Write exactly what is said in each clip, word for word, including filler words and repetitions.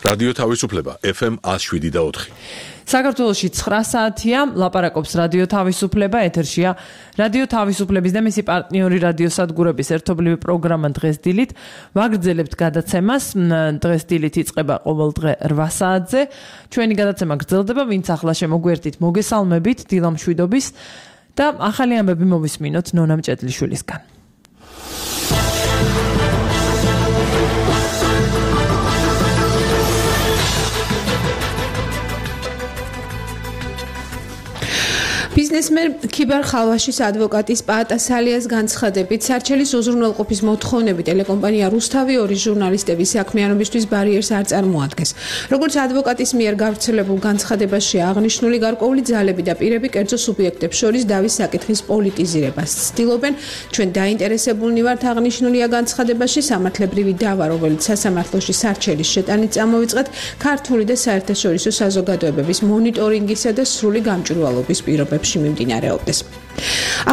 რადიო თავისუფლება F M one oh seven და four. საქართველოში ცხრა საათია, ლაპარაკობს რადიო თავისუფლება, ეთერშია რადიო თავისუფლების და მისი პარტნიორი რადიოსადგურების ერთობლივი პროგრამა დღეს დილით. ვაგრძელებთ გადაცემას. დღეს დილით იწყება ყოველ დღე რვა საათზე. ჩვენი გადაცემა გრძელდება, ვინც ახლა შემოგვერთით, მოგესალმებით დილა მშვიდობის და ახალი ამბები მოვისმინოთ ნონა მჭედლიშვილისგან. ბიზნესმენ ქიბარ ხალვაშის ადვოკატის პაატა სალიას განცხადებით, სარჩელის უზრუნველყოფის მოთხოვნები ტელეკომპანია რუსთავი ორი ჟურნალისტების საქმიანობისთვის ბარიერს არ წარმოადგენს. როგორც ადვოკატის მიერ გავრცელებულ განცხადებაში აღნიშნული, გარკვეული ძალები და პირები კერძო სუბიექტებს შორის დავის საკითხის პოლიტიზირებას ცდილობენ. ჩვენ დაინტერესებულნი ვართ, აღნიშნულია განცხადებაში, სამართლებრივი დავა, რომელიც სასამართლოში სარჩელის შეტანით წამოვიწყეთ, ქართული და საერთაშორისო საზოგადოებების მონიტორინგისა და სრული გამჭვირვალობის პირობებში მიმდინარეობდეს.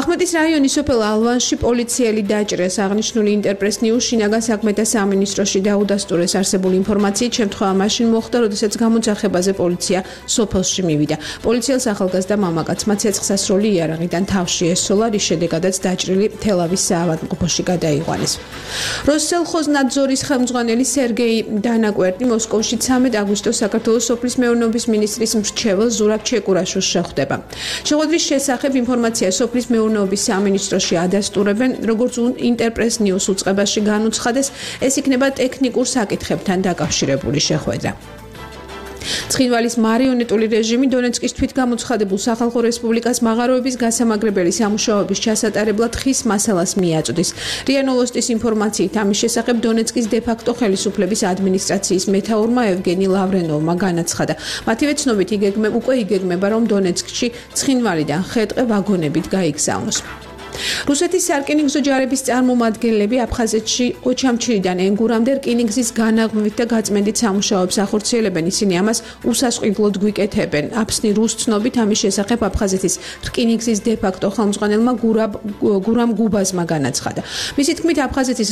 ახმეტის რაიონის სოფელ ალვანში პოლიციელი დაჭრეს. აღნიშნული ინტერპრეს ნიუს შინაგან საქმეთა სამინისტროში დაუდასტურეს არსებული ინფორმაციით, შემთხვევა მაშინ მოხდა, როდესაც გამოძახებაზე პოლიცია სოფელში მივიდა. პოლიციელს ახალგაზრდა მამაკაცმა ცეცხლსასროლი იარაღიდან თავში ესოლა, რის შედეგადაც დაჭრილი თელავის საავადმყოფოში გადაიყვანეს. როსელხოზნაძორის ხელმძღვანელი სერგეი დანაკვერტი მოსკოვში ცამეტ აგვისტოს საქართველოს სოფლის მეურნეობის მინისტრის მრჩეველ ზურაბ ჩეკურაშვილს შეხვდება. შეხვედრის შესახებ ინფორმაცია სოფლის მეურნეობის სამინისტროში ადასტურებენ, როგორც ინტერპრეს ნიუს უწყებაში განუცხადეს, ეს იქნება ტექნიკურ საკითხებთან დაკავშირებული შეხვედრა. ცხინვალის მარიონეტული რეჟიმი დონეცკის თვითგამოცხადებულ სახალხო რესპუბლიკას მაღაროების გასამაგრებელი სამუშაოების ჩასატარებლად ხის მასალას მიაწვდის. რია ნოვოსტის ინფორმაციით ამის შესახებ დონეცკის დე-ფაქტო ხელისუფლების ადმინისტრაციის მეთაურმა ევგენი ლავრენოვმა განაცხადა. მათივე ცნობით იგეგმება, უკვე იგეგმება, რომ დონეცკში ცხინვალიდან ხე-ტყე ვაგონებით გაიგზავნოს. რუსეთის სარკინიგზო ჯარების წარმომადგენლები აფხაზეთში ოჩამჩირიდან ენგურამდე რკინიგზის განაღმვით და გაწმენდით სამუშაოებს ახორციელებენ. ისინი ამას უსასყიდლოდ გვიკეთებენ. აფსნი რუს ცნობით ამის შესახებ აფხაზეთის რკინიგზის დე-ფაქტო ხელმძღვანელმა გურამ გუბაზმა განაცხადა. მისი თქმით, აფხაზეთის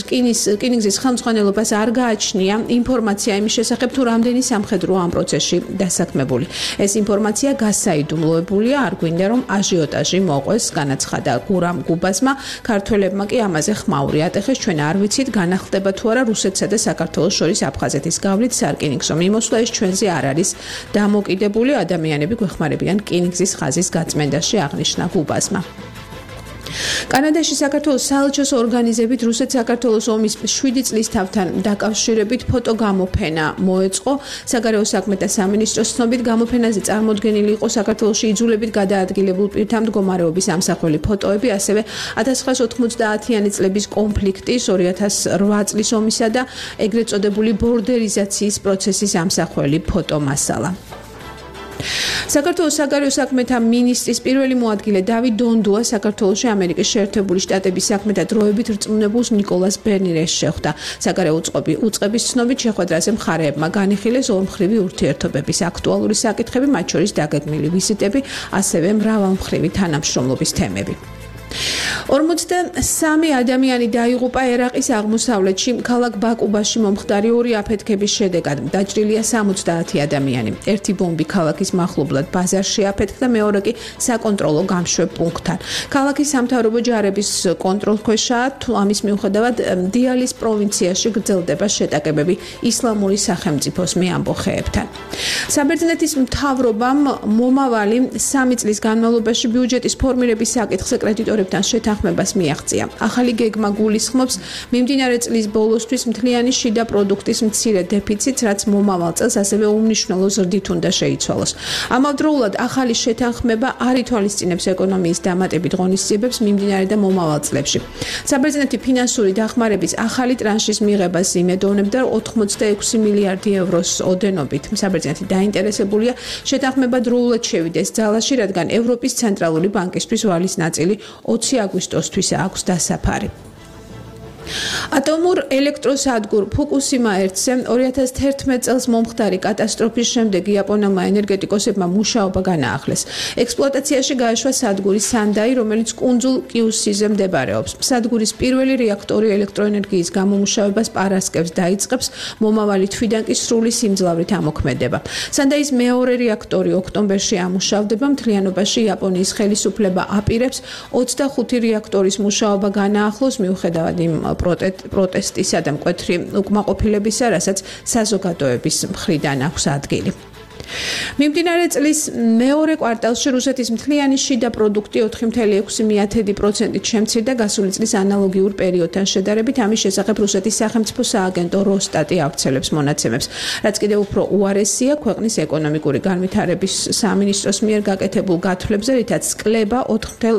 რკინიგზის ხელმძღვანელობას არ გააჩნია ინფორმაცია იმის შესახებ, თუ რამდენი სამხედრო ამ პროცესში დასაქმებული. ეს ინფორმაცია გასაიდუმლოებულია, არ გვინდა რომ აჟიოტაჟი მოყვეს, განაცხადა გურამ გუბაზმა. ქართველებმა კი ამაზე ხმაური ატეხეს. ჩვენ არ ვიცით, განახლდება თუ არა რუსეთსა და საქართველოს შორის აფხაზეთის გავლით სარკინიგზო მიმოსვლა, ეს ჩვენზე არ არის დამოკიდებული. ადამიანები გვეხმარებიან რკინიგზის ხაზის გაწმენდაში, აღნიშნა გუბაზმა. კანადაში საქართველოს საელჩოს ორგანიზებით რუსეთ-საქართველოს ომის შვიდი წლის თავთან დაკავშირებით ფოტოგამოფენა მოეწყო. საგარეო საქმეთა სამინისტროს ცნობით, გამოფენაზე წარმოდგენილი იყო საქართველოში იძულებით გადაადგილებულ პირთა მდგომარეობის ამსახველი ფოტოები, ასევე ათას ცხრაას ოთხმოცდაათიანი წლების კონფლიქტის, ორი ათას რვა წლის ომისა და ეგრეთ წოდებული ბორდერიზაციის პროცესის ამსახველი ფოტომასალა. საქართველოს საგარეო საქმეთა მინისტრის პირველი მოადგილე დავით დონდუა საქართველოში ამერიკის შეერთებული შტატების საქმეთა დროებით რწმუნებულს ნიკოლას ბერნიერს შეხვდა. საგარეო უწყების ცნობით შეხვედრაზე მხარეებმა განიხილეს ორმხრივი ურთიერთობების აქტუალური საკითხები, მათ შორის დაგეგმილი ვიზიტები, ასევე მრავალმხრივი თანამშრომლობის თემები. ორმოცდასამი ადამიანი დაიღუპა ერაყის აღმოსავლეთში ქალაქ ბაკუბაში მომხდარი ორი აფეთქების შედეგად. დაჭრილია სამოცდაათი ადამიანი. ერთი ბომბი ქალაქის მახლობლად ბაზარში აფეთქდა, მეორე კი საკონტროლო გამშვებ პუნქტთან. ქალაქის სამთავრობო ჯარების კონტროლქვეშაა, თუ ამის მიუხედავად დიალის პროვინციაში გრძელდება შეტაკებები ისლამური სახელმწიფოს მეამბოხეებთან. საბერძნეთის მთავრობამ მომავალი სამი წლის განმავლობაში ბიუჯეტის ფორმირების საკითხზე კრედიტორებთან შეთანხმებას მიაღწია. ახალი გეგმა გულისხმობს მიმდინარე წლის ბოლოსთვის მთლიანი შიდა პროდუქტის მცირე დეფიციტს, რაც მომავალ წელს ასევე უმნიშვნელო ზრდით უნდა შეიცვალოს. ამავდროულად ახალი შეთანხმება არ ითვალისწინებს ეკონომიის დამატებით ღონისძიებებს მიმდინარე და მომავალ წლებში. საბერძნეთი ფინანსური დახმარების ახალი ტრანშის მიღებას იმედოვნებდა ოთხმოცდაექვსი მილიარდი ევროს ოდენობით. საბერძნეთი დაინტერესებულია შეთანხმება დროულად შევიდეს ძალაში, რადგან ევროპის ცენტრალური ბანკისთვის ვალის ნაწილი ოცი აგვისტოსთვის აქვს დასაფარი. ატომურ ელექტროსადგურ ფუკუსიმა ერთზე ორი ათას თერთმეტ წელს მომხდარი კატასტროფის შემდეგ იაპონელმა ენერგეტიკოსებმა მუშაობა განაახლეს. ექსპლუატაციაში გაეშვა სადგური სანდაი, რომელიც კუნძულ კიუსიზე მდებარეობს. სადგურის პირველი რეაქტორი ელექტროენერგიის გამომუშავებას პარასკევს დაიწყებს, მომავალი თვიდან კი სრული სიმძლავრით ამოქმედება. სანდაის მეორე რეაქტორი ოქტომბერში ამუშავდება, მთლიანობაში იაპონიის ხელისუფლება აპირებს ოცდახუთი რეაქტორის მუშაობა განაახლოს მიუხედავად იმ პროტესტისა და მკვეთრი უკმაყოფილებისა, რასაც საზოგადოების მხრიდან აქვს ადგილი. მიმდინარე წლის მეორე კვარტალში რუსეთის მთლიანი შიდა პროდუქტი ოთხი კoma ექვსი პროცენტით შემცირდა გასული წლის ანალოგიურ პერიოდთან შედარებით. ამის შესახებ რუსეთის სახელმწიფო სააგენტო როსტატი ავრცელებს მონაცემებს. რაც კიდევ უფრო უარესია, ქვეყნის ეკონომიკური განვითარების სამინისტროს მიერ გაკეთებულ გათვლებზე, რითაც კლება ოთხი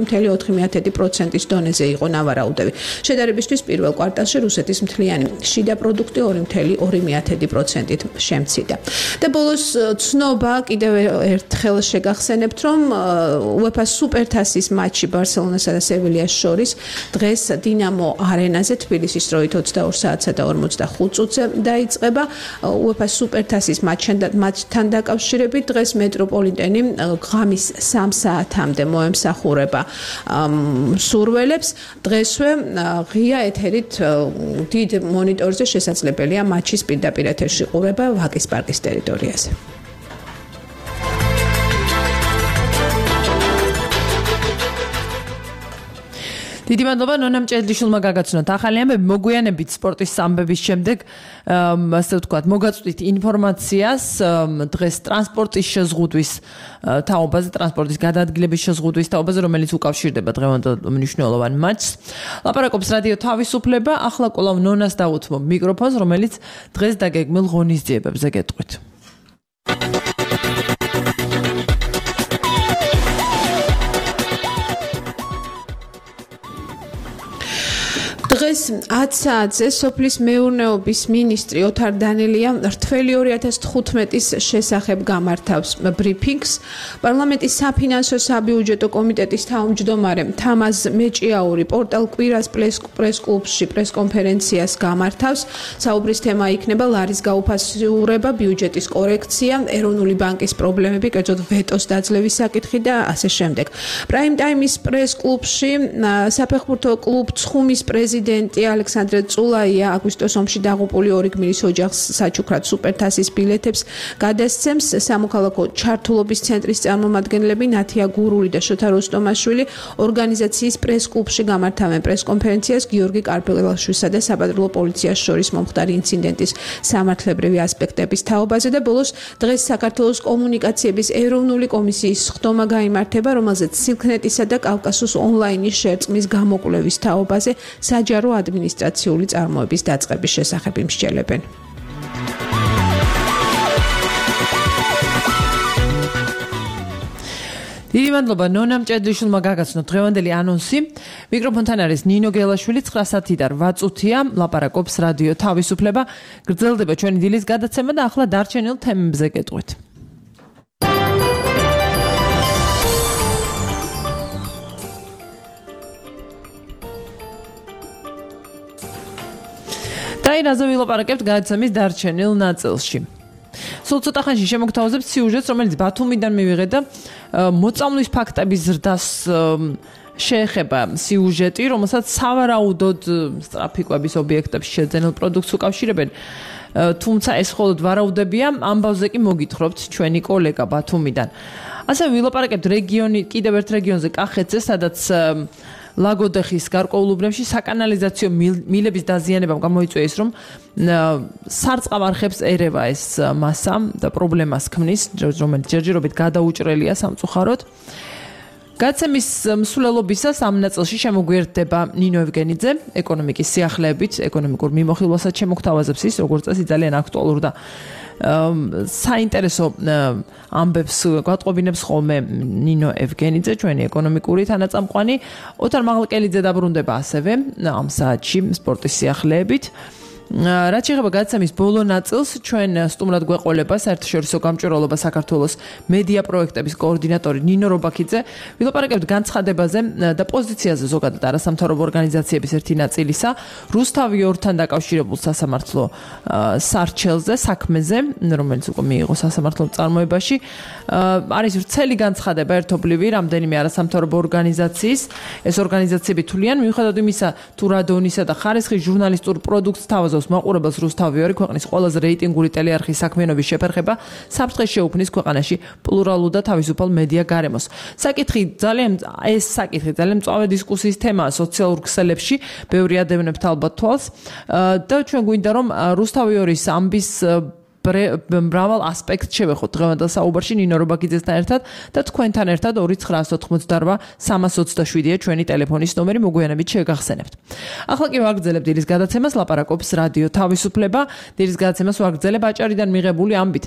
კoma ოთხი პროცენტის დონეზე იყო ნავარაუდები. შედარებისთვის პირველ კვარტალში რუსეთის მთლიანი შიდა პროდუქტი ორი კoma ორი პროცენტით შემცირდა. და ბოლოს ცნობა კიდევ ერთხელ შეგახსენებთ, რომ უეფა სუპერთასის მატჩი ბარსელონასა და სევილიას შორის დღეს დინამო არენაზე თბილისის დროით ოცდაორ საათსა და ორმოცდახუთ წუთზე დაიწყება. უეფა სუპერთასის მატჩთან დაკავშირებით დღეს მეტროპოლიტენი ღამის სამ საათამდე მოემსახურება მსურველებს. დღესვე ღია ეთერით დიდ მონიტორზე შესაძლებელია მატჩის პირდაპირ ეთერში ყურება ვაკის პარკის ტერიტორიაზე. დიდი მადლობა ნონამ ჭედლიშვილმა გაგაცნოთ ახალი ამბები. მოგვიანებით სპორტის ამბების შემდეგ ასე ვთქვათ, მოგაწვდით ინფორმაციას დღეს ტრანსპორტის შეზღუდვის თაობაზე, ტრანსპორტის გადაადგილების შეზღუდვის თაობაზე, რომელიც უკავშირდება დღევანდელ მნიშვნელოვან მატჩს. ლაპარაკობს რადიო თავისუფლება. ახლა კვლავ ნონას დაუთმობ მიკროფონს, რომელიც დღეს დაგეგმილ ღონისძიებებზე გეტყვით. დღეს ათ საათზე სოფლის მეურნეობის მინისტრი ოთარ დანელია რთველი ორი ათას თხუთმეტის შესახებ გამართავს ბრიფინგს. პარლამენტის საფინანსო საბიუჯეტო კომიტეტის თავმჯდომარე თამაზ მეჭიაური პორტალ კვირას პრეს-კლუბში პრეს-კონფერენციას გამართავს. საუბრის თემა იქნება ლარის გაუფასურება, ბიუჯეტის კორექცია, ეროვნული ბანკის პრობლემები, კერძოდ ვეტოს დაძლევის საკითხი და ასე შემდეგ. პრაიმ ტაიმის პრეს-კლუბში საფეხბურთო კლუბ ცხუმის პრეზიდენტი ალექსანდრე წულაია აგვისტოს ომში დაღუპული ორი გმირის ოჯახს საჩუქრად სუპერთასის ბილეთებს გადასცემს. სამოქალაქო ჩართულობის ცენტრის წარმომადგენლები ნათია გურული და შოთა როსტომაშვილი ორგანიზაციის პრეს-კლუბში გამართავენ პრეს-კონფერენციას გიორგი კარპელაშვილსა და საბადრულო პოლიციას შორის მომხდარი ინციდენტის სამართლებრივი ასპექტების თაობაზე და ბოლოს დღეს საქართველოს კომუნიკაციების ეროვნული კომისიის სხდომა გაიმართება, რომელზეც სილქნეტისა და კავკასუს ონლაინის შერწყმის გამოკვლევის თაობაზე საჯარო ადმინისტრაციული წარმოების დაწყების შესახებ იმსჯელებენ. დიდი მადლობა ნონამ ჭედლიშვილმა გაგაცნოთ დღევანდელი ანონსი. მიკროფონთან არის ნინო გელაშვილი. ცხრა საათიდან რვა წუთია ლაპარაკობს რადიო თავისუფლება. გრძელდება ჩვენი დილის გადაცემა და ახლა დარჩენილ თემებზე გეტყვით. დაინაზე ვილაპარაკებთ გადაცემის დარჩენილ ნაწილში. სულ ცოტა ხანში შემოგთავაზებთ სიუჟეტს, რომელიც ბათუმიდან მივიღეთ და მოწამვლის ფაქტების ზრდას შეეხება სიუჟეტი, რომელსაც სავარაუდოდ სტრაფიკვების ობიექტებს შეძენილ პროდუქტს უკავშირებენ. თუმცა ეს მხოლოდ ვარაუდებია, ამბავზე კი მოგითხრობთ ჩვენი კოლეგა ბათუმიდან. ასევე ვილაპარაკებთ რეგიონი, კიდევ ერთ რეგიონზე კახეთზე, სადაც ლაგოდეხის გარკვეულ უბნებში საკანალიზაციო მილების დაზიანებამ გამოიწვია ის, რომ სარწყავ არხებს ერევა ეს მასა და პრობლემას ქმნის, რომელიც ჯერჯერობით გადაუჭრელია სამწუხაროდ. გადაცემის მსვლელობისას ამ ნაწილში შემოგვიერთდება ნინო ევგენიძე, ეკონომიკის სიახლეებით, ეკონომიკურ მიმოხილვასაც შემოგთავაზებს ის, როგორც წესი ძალიან აქტუალურ და საინტერესო ამბებს გვატყობინებს ხოლმე ნინო ევგენიძე, ჩვენი ეკონომიკური თანაწამყვანი. ოთარ მაღლკელიძე დაბრუნდება ასევე ამ საათში სპორტის სიახლეებით. რაც შეეხება გადაცემის ბოლო ნაწილს, ჩვენ სტუმრად გვეყოლება საერთაშორისო გამჭვირვალობა საქართველოს მედია პროექტების კოორდინატორი ნინო რობაქიძე. ვილაპარაკებთ განცხადებაზე და პოზიციაზე ზოგადად არასამთავრობო ორგანიზაციების ერთი ნაწილისა, რუსთავი ორთან დაკავშირებულ სასამართლო სარჩელზე, საქმეზე, რომელიც უკვე მიიღო სასამართლო წარმოებაში. არის ვრცელი განცხადება ერთობლივი რამდენიმე არასამთავრობო ორგანიზაციის. ეს ორგანიზაციები თვლიან, მიუხედავად იმისა, თუ რა დონისა და ხარისხის ჟურნალისტურ პროდუქტს თავაზობს მაყურებელს რუსთავი ორი ქვეყნის ყველაზე რეიტინგური ტელეარხის საქმიანობის შეფერხება საფრთხეს შეუქმნის ქვეყანაში პლურალურ და თავისუფალ მედია გარემოს. საკითხი ძალიან ეს საკითხი ძალიან მწვავე დისკუსიის თემაა სოციალურ ქსელებში, ბევრი ადევნებთ ალბათ თვალს და ჩვენ გვინდა რომ რუსთავი ორის ამბის მრავალ ასპექტს შევეხოთ დღევანდელ საუბარში ნინო რობაქიძესთან ერთად და თქვენთან ერთად ორი ცხრაას ოთხმოცდარბა სამას ოცდაშვიდია ჩვენი ტელეფონის ნომერი, მოგვიანებით შეგახსენებთ. ახლა კი ვაგრძელებ დილის გადაცემას, ლაპარაკობს რადიო თავისუფლება. დილის გადაცემას ვაგრძელებ აჭარიდან მიღებული ამბით,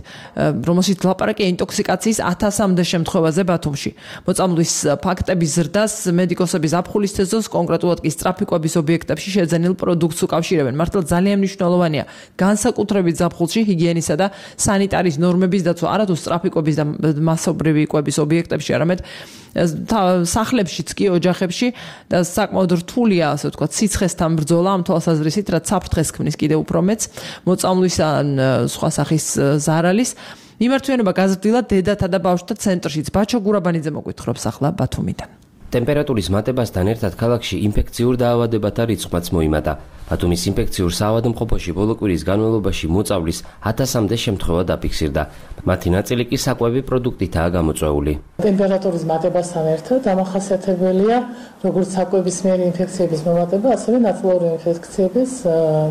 რომელშიც ლაპარაკია ინტოქსიკაციის ათასამდე შემთხვევაზე ბათუმში. მოწამვლის ფაქტების ზრდას მედიკოსების ზაფხულის სეზონს, კონკრეტულად კი სწრაფიკვების ობიექტებში შეძენილ პროდუქტს უკავშირებენ. მართლა ძალიან მნიშვნელოვანია განსაკუთრებით ზაფხულში ჰიგიენის და სანიტარის ნორმების დაცვა არა თუ სწრაფიკვების და მასობრივი იკვების ობიექტებში, არამედ სახლებშიც კი, ოჯახებში და საკმაოდ რთულია, ასე ვთქვათ, სიცხესთან ბრძოლა ამ თვალსაზრისით, რაც საფრთხეს ქმნის კიდევ უფრო მეც მოწამვლის ან სხვა სახის ზარალის. მიმართვიანობა გაზრდილა დედათა და ბავშვთა ცენტრშიც. ბაჩო გურაბანიძე მოგვითხრობს ახლა ბათუმიდან. ტემპერატურის მატებასთან ერთად ქალაქში ინფექციურ დაავადებათა რიცხვიც მოიმატა. ბათუმის ინფექციურ საავადმყოფოში ბოლო კვირის განმავლობაში მოწავლის ათასამდე შემთხვევა დაფიქსირდა. მათი ნაწილი კი საკვები პროდუქტითაა გამოწვეული. ტემპერატურის მატებასთან ერთად დამახასიათებელია როგორც საკვებისმიერი ინფექციების მომატება, ასევე ნაწილობრივი ინფექციების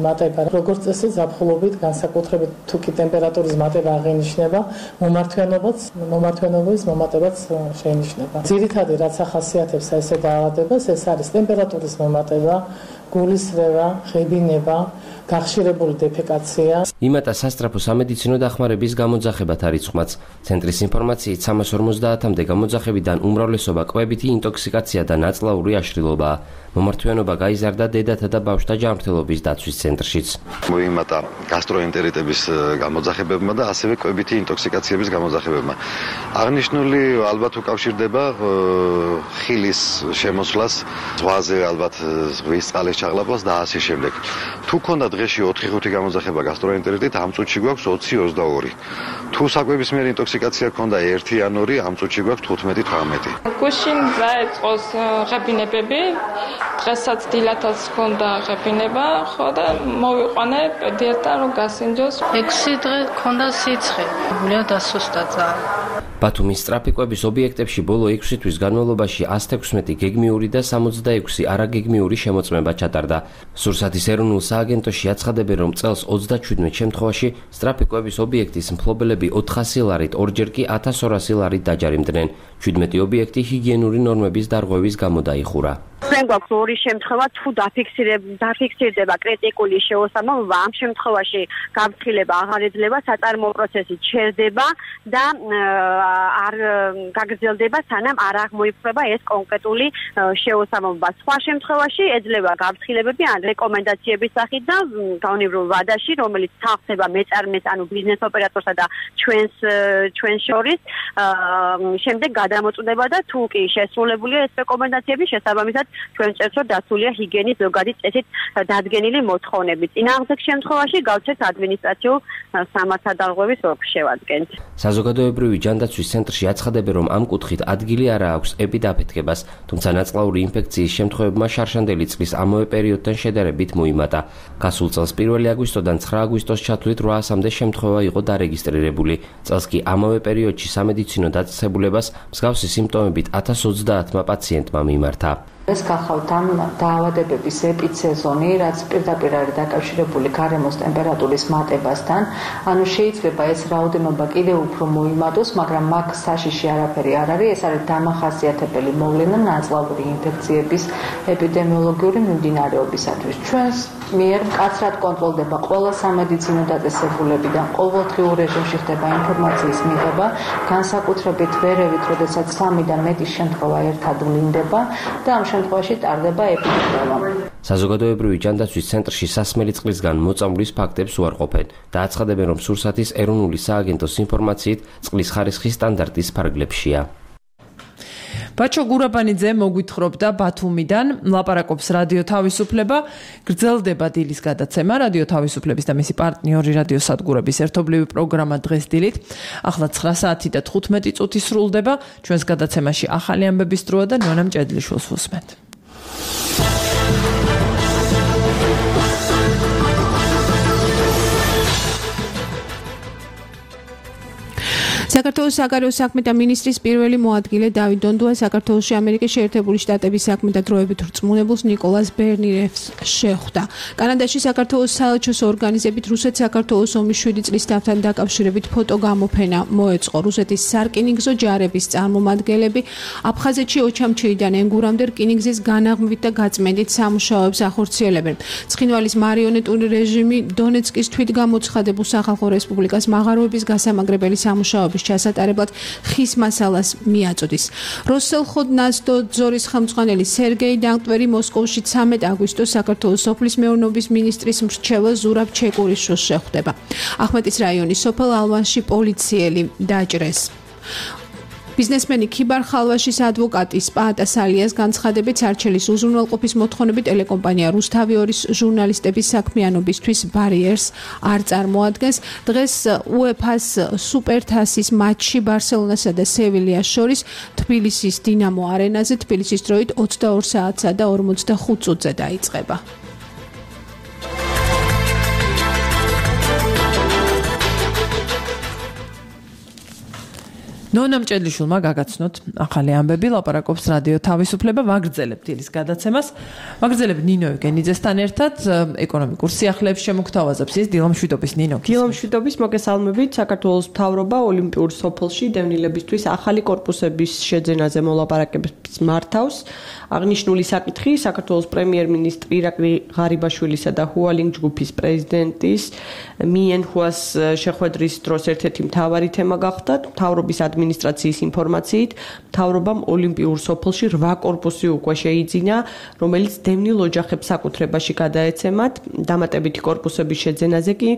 მატება. როგორც წესი, ზაფხულობით განსაკუთრებით თუ კი ტემპერატურის მატება აღინიშნება, მომართვიანობაც, მომართვიანობის მომატებაც შეინიშნება. ძირითადი რაც ახასიათებს ესე დაავადებას, ეს არის ტემპერატურის მომატება, გულისრევა, ღებინება, გახშირებული დეფეკაცია. იმატა სასწრაფო სამედიცინო დახმარების გამოძახებათა რიცხვმაც. ცენტრის ინფორმაციით სამას ორმოცდაათამდე გამოძახებიდან უმრავლესობა კვებითი ინტოქსიკაცია და ნაწლავური აშლილობაა. მომართვიანობა გაიზარდა დედათა და ბავშვთა ჯანმრთელობის დაცვის ცენტრშიც. მოიმატა გასტროენტერიტების გამოძახებებმა და ასევე კვებითი ინტოქსიკაციების გამოძახებებმა. აღნიშნული ალბათ უკავშირდება ხილის შემოსვლას, ზღვაზე ალბათ ზღვის წყლის ჩაღლაპას და ასე შემდეგ. თუ ქონდა დღეში ოთხი ხუთი გამოძახება გასტროენტერიტით, ამ წუთში გვაქვს ოცი ოცდაორი. თუ საკვებისმიერი ინტოქსიკაცია ქონდა ერთი ან ორი, ამ წუთში გვაქვს თხუთმეტი თვრამეტი. გუშინ დაიწყოს ღებინებები, დღესაც დილათაც ქონდა ღებინება, ხო და მოვიყვანე პედიატრთან რომ გასინჯოს. ექვსი დღე ქონდა სიცხე, გულია დასუსტა ძალიან. ბათუმის სწრაფიკვების ობიექტებში ბოლო ექვსი თვის განმავლობაში ას თექვსმეტი გეგმიური და სამოცდაექვსი არაგეგმიური შემოწმება ჩატარდა. სურსათის ეროვნულ სააგენტოში აცხადებენ, რომ წელს ოცდაშვიდმეტ შემთხვევაში სწრაფიკვების ობიექტის მფლობელები ოთხასი ლარით, ორჯერ კი ათას ორასი ლარით დაჯარიმდნენ. შვიდმეტი ობიექტი ჰიგიენური ნორმების დარღვევის გამო დაიხურა. ჩვენ გვაქვს ორი შემთხვევა, თუ დაფიქსირდება კრიტიკული შეუსამართლობა, ამ შემთხვევაში გაფრთხილება აღარ ეძლევა, საწარმოო პროცესი ჩერდება და არ გაგრძელდება, სანამ არ აღმოიფრება ეს კონკრეტული შეუსამართლობა. სხვა შემთხვევაში ეძლევა გაფრთხილებები ან რეკომენდაციების სახით და გაუნებრივ ვადაში, რომელიც თანხდება მეწარმეს, ანუ ბიზნეს ოპერატორსა და ჩვენს ჩვენს შორის, შემდეგ გადამოწვდება და თუ კი შესრულებულია ეს რეკომენდაციები, შესაბამისად ჩვენ წერს, რომ დასულია ჰიგიენის ზოგადი წესით დადგენილი მოთხოვნები. წინააღმდეგ შემთხვევაში გავცეთ ადმინისტრაციულ სამართალდარღვევის ოლქს შევადგენთ. საზოგადოებრივი ჯანდაცვის ცენტრში აცხადებენ, რომ ამ კუთხით ადგილი არა აქვს ეპიდაფეთქებას, თუმცა ნაწლავური ინფექციის შემთხვევებმა შარშანდელი წლის ამავე პერიოდთან შედარებით მოიმატა. გასულ წელს პირველი აგვისტოდან ცხრა აგვისტოს ჩათვლით რვაასამდე შემთხვევა იყო დარეგისტრირებული. წელს კი ამავე პერიოდში სამედიცინო დაწესებულებას მსგავსი სიმპტომებით ათას ოცდაათმა პაციენტმა მიმართა. ეს გახავთ ამ დაავადებების ეპიცეზონი, რაც პირდაპირ არის დაკავშირებული გარემოს ტემპერატურის მატებასთან. ანუ შეიძლება ეს რაოდენობა კიდევ უფრო მოიმატოს, მაგრამ მაგ საშიში არაფერი არ არის. ეს არის დამახასიათებელი მოვლენა ნაწლავური ინფექციების ეპიდემიოლოგიური მიმდინარეობისათვის. ჩვენს მიერ მკაცრად კონტროლდება ყველა სამედიცინო დაწესებულებიდან, ყოველდღიურ რეჟიმში ხდება ინფორმაციის მიღება, განსაკუთრებით ვერევით, როდესაც სამი და მეტი შემთხვევა ერთად ვლინდება და ამ შემთხვევაში ტარდება ეპიდემია. საზოგადოებრივი ჯანდაცვის ცენტრში სასმელი წყლისგან მოწამვლის ფაქტებს უარყოფენ და აცხადებენ, რომ სურსათის ეროვნული სააგენტოს ინფორმაციით წყლის ხარისხი სტანდარტის ფარგლებშია. ბაჩო გურაბანიძე მოგვითხრობდა ბათუმიდან, ლაპარაკობს რადიო თავისუფლება, გრძელდება დილის გადაცემა, რადიო თავისუფლების და მისი პარტნიორი რადიო სადგურების ერთობლივი პროგრამა დღეს დილით. ახლა ცხრა საათი და თხუთმეტი წუთი სრულდება, ჩვენს გადაცემაში ახალი ამბების დროა და ნონა მჭედლიშვილს ვუსმენთ. საქართველოს საგარეო საქმეთა მინისტრის პირველი მოადგილე დავით დონდუა საქართველოში ამერიკის შეერთებული შტატების საქმეთა დროებით რწმუნებულს ნიკოლას ბერნირებს შეხვდა. კანადაში საქართველოს საელჩოს ორგანიზებით რუსეთ-საქართველოს ომის შვიდი წლის დავთან დაკავშირებით ფოტოგამოფენა მოეწყო. რუსეთის სარკინიგზო ჯარების წარმომადგენლები აფხაზეთში ოჩამჩიიდან ენგურამდე რკინიგზის განაღმვით და გაწმენდით სამუშაოებს ახორციელებენ. ცხინვალის მარიონეტული რეჟიმი დონეცკის თვითგამოცხადებულ სახალხო რესპუბლიკას მაღაროების გასამაგრებელი სამუშაოების ჩასატარებლად ხის მასალას მიაწოდის. როსელხოდნაზდო ძორის ხელმძღვანელი სერგეი დანკვერი მოსკოვში ცამეტ აგვისტოს საქართველოს სოფლის მეურნეობის მინისტრის მრჩეველ ზურაბ ჩეკურიშვილს შეხვდება. ახმეტის რაიონის სოფელ ალვანში პოლიციელი დაჭრეს. ბიზნესმენი ქიბარ ხალვაშის ადვოკატი სპაატა სალიას განცხადებით სარჩელის უზრუნველყოფის მოთხოვნები ტელეკომპანია რუსთავი-ორის ჟურნალისტების საქმიანობისთვის ბარიერს არ წარმოადგენს. დღეს უეფა-ს სუპერთასის მატჩი ბარსელონასა და სევილიას შორის თბილისის დინამო არენაზე თბილისის დროით ოცდაორ საათსა და ორმოცდახუთ წუთზე დაიწყება. ნონა მჭედლიშვილმა გაგაცნოთ ახალი ამბები, ლაპარაკობს რადიო თავისუფლება, ვაგრძელებთ დილის გადაცემას. ვაგრძელებთ ნინო ევგენიძესთან ერთად ეკონომიკურ სიახლეებს შემოგთავაზებს ის დილამშვიდობის ნინო. დილამშვიდობის მოგესალმებით. საქართველოს მთავრობა ოლიმპიურ სოფელში დევნილებისთვის ახალი კორპუსების შეძენაზე მოლაპარაკებებს მართავს. აღნიშნული საკითხი საქართველოს პრემიერ-მინისტრი ირაკლი ღარიბაშვილისა და ჰუალინგ ჯგუფის პრეზიდენტის მიენჰუას შეხვედრის დროს ერთ-ერთი მთავარი თემა გახდა. მთავრობის ადმინისტრაციის ინფორმაციით, მთავრობამ ოლიმპიურ სოფელში რვა კორპუსი უკვე შეიძინა, რომელიც დევნილ ოჯახებს საკუთრებაში გადაეცემათ. დამატებითი კორპუსების შეძენაზე კი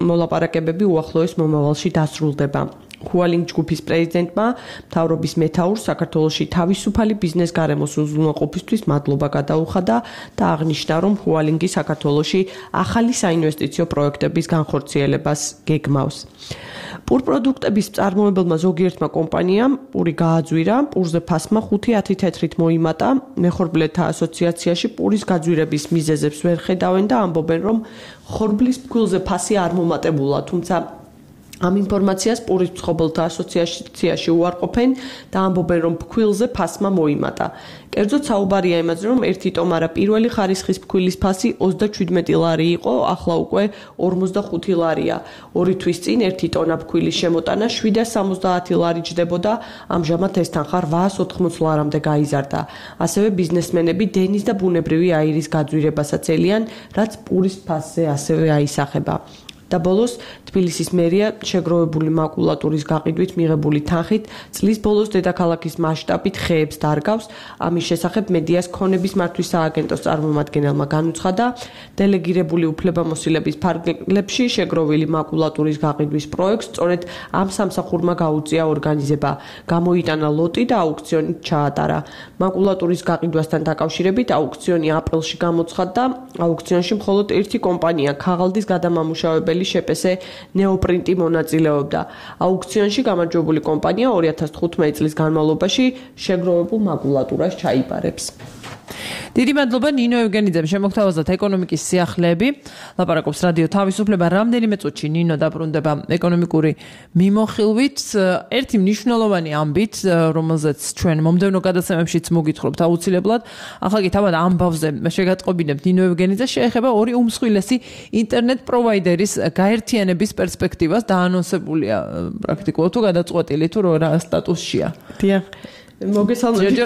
მოლაპარაკებები უახლოეს მომავალში დასრულდება. ჰუალინგ ჯგუფის პრეზიდენტმა მთავრობის მეთაურს საქართველოში თავისუფალი ბიზნეს გარემოს უზრუნველყოფისთვის მადლობა გადაუხადა და აღნიშნა, რომ ჰუალინგი საქართველოში ახალი საინვესტიციო პროექტების განხორციელებას გეგმავს. პურპროდუქტების მწარმოებელმა ზოგიერთმა კომპანიამ პური გააძვირა, პურზე ფასმა ხუთი ათი თეთრით მოიმატა. მეხორბლეთა ასოციაციაში პურის გაძვირების მიზეზებს ვერ ხედავენ და ამბობენ, რომ ხორბლის ფქვილზე ფასი არ მომატებულა, თუმცა ამ ინფორმაციას პურის მცხოვრებელთა ასოციაციაში უარყოფენ და ამბობენ, რომ ფქვილზე ფასმა მოიმატა. კერძოდ საუბარია იმაზე, რომ ერთი ტომარა პირველი ხარისხის ფქვილის ფასი ოცდაჩვიდმეტი ლარი იყო, ახლა უკვე ორმოცდახუთი ლარია. ორი თვის წინ ერთი ტონა ფქვილის შემოტანა შვიდას სამოცდაათი ლარი ჯდებოდა, ამჟამად ეს თანხა რვაას ოთხმოცი ლარამდე გაიზარდა. ასევე ბიზნესმენები დენის და ბუნებრივი აირის გაძვირებასაც ელიან, რაც პურის ფასზე ასევე აისახება. და ბოლოს თბილისის მერია შეგროვებული მაკულატურის გაყიდვით მიღებული თანხით წლის ბოლოს დედაქალაქის მასშტაბით ხეებს დარგავს. ამის შესახებ მედიას ქონების მართვის სააგენტოს წარმომადგენელმა განუცხადა, დელეგირებული უფლებამოსილების ფარგლებში შეგროვილი მაკულატურის გაყიდვის პროექტს სწორედ ამ სამსახურმა გაუწია ორგანიზება. გამოიტანა ლოტი და აუქციონით ჩაატარა. მაკულატურის გაყიდვასთან დაკავშირებით აუქციონი აპრილში გამოცხადდა. აუქციონში მხოლოდ ერთი კომპანია ქაღალდის გადამამუშავებელი შეპესე ნეოპრინტი მონაწილეობდა. აუქციონში გამარჯვებული კომპანია ორი ათას თხუთმეტი წლის განმავლობაში შეგროვებულ მაკულატურას ჩაიბარებს. დიდი მადლობა ნინო ევგენიძემ შემოგთავაზოთ ეკონომიკის სიახლეები. ლაპარაკობს რადიო თავისუფლება. რამდენიმე წუთში ნინო დაბრუნდება ეკონომიკური მიმოხილვით. ერთი მნიშვნელოვანი ამბით, რომელზეც ჩვენ მომდევნო გადაცემებშიც მოგითხრობთ აუცილებლად. ახლა კი თავად ამბავზე შეგატყობინებთ ნინო ევგენიძეს, შეეხება ორი უმსხვილესი ინტერნეტ პროვაიდერის გაერთიანების პერსპექტივას. დაანონსებულია პრაქტიკულად თუ გადაწყვეტილი თუ რა სტატუსშია. დიახ. მოგესალმებით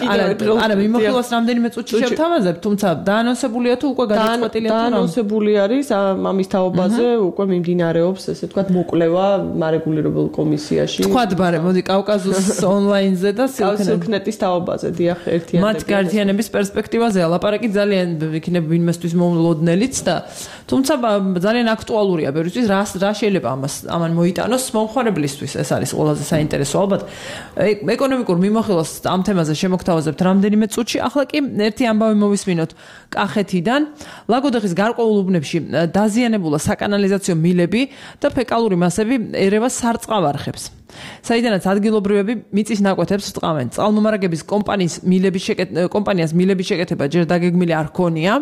არა მიმოხილვას რამდენიმე წუთში შევთავაზებ, თუმცა დაანონსებულია თუ უკვე გადაწყვეტილია თუ რა? დაანონსებული არის ამის თაობაზე, უკვე მიმდინარეობს, ესე ვთქვათ, მოკვლევა მარეგულირებულ კომისიაში. თქვათ ბარე, მოდი კავკასიის ონლაინზე და სილქნეტის თაობაზე, დიახ, ერთიანები. მათ გაერთიანების პერსპექტივაზე ლაპარაკი ძალიან იქნება ვინმესთვის მოულოდნელიც და თუმცა ძალიან აქტუალურია ბევრისთვის, რა რა შეიძლება ამას ამან მოიტანოს მომხმარებლისთვის, ეს არის ყველაზე საინტერესო ალბათ. ეკონომიკურ მიმოხილვას ამ თემაზე შემოგთავაზებთ რამდენიმე წუთში. ახლა კი ერთი ამბავი მოვისმინოთ კახეთიდან. ლაგოდეხის გარკვეულ უბნებში დაზიანებულა საკანალიზაციო მილები და ფეკალური მასები ერევა სარწყავ არხებს. საიდანაც ადგილობრივები მიწის ნაკვეთებს რტყავენ. წყალმომარაგების კომპანიის მილების კომპანიას მილების შეკეთება ჯერ დაგეგმილი არ ქონია.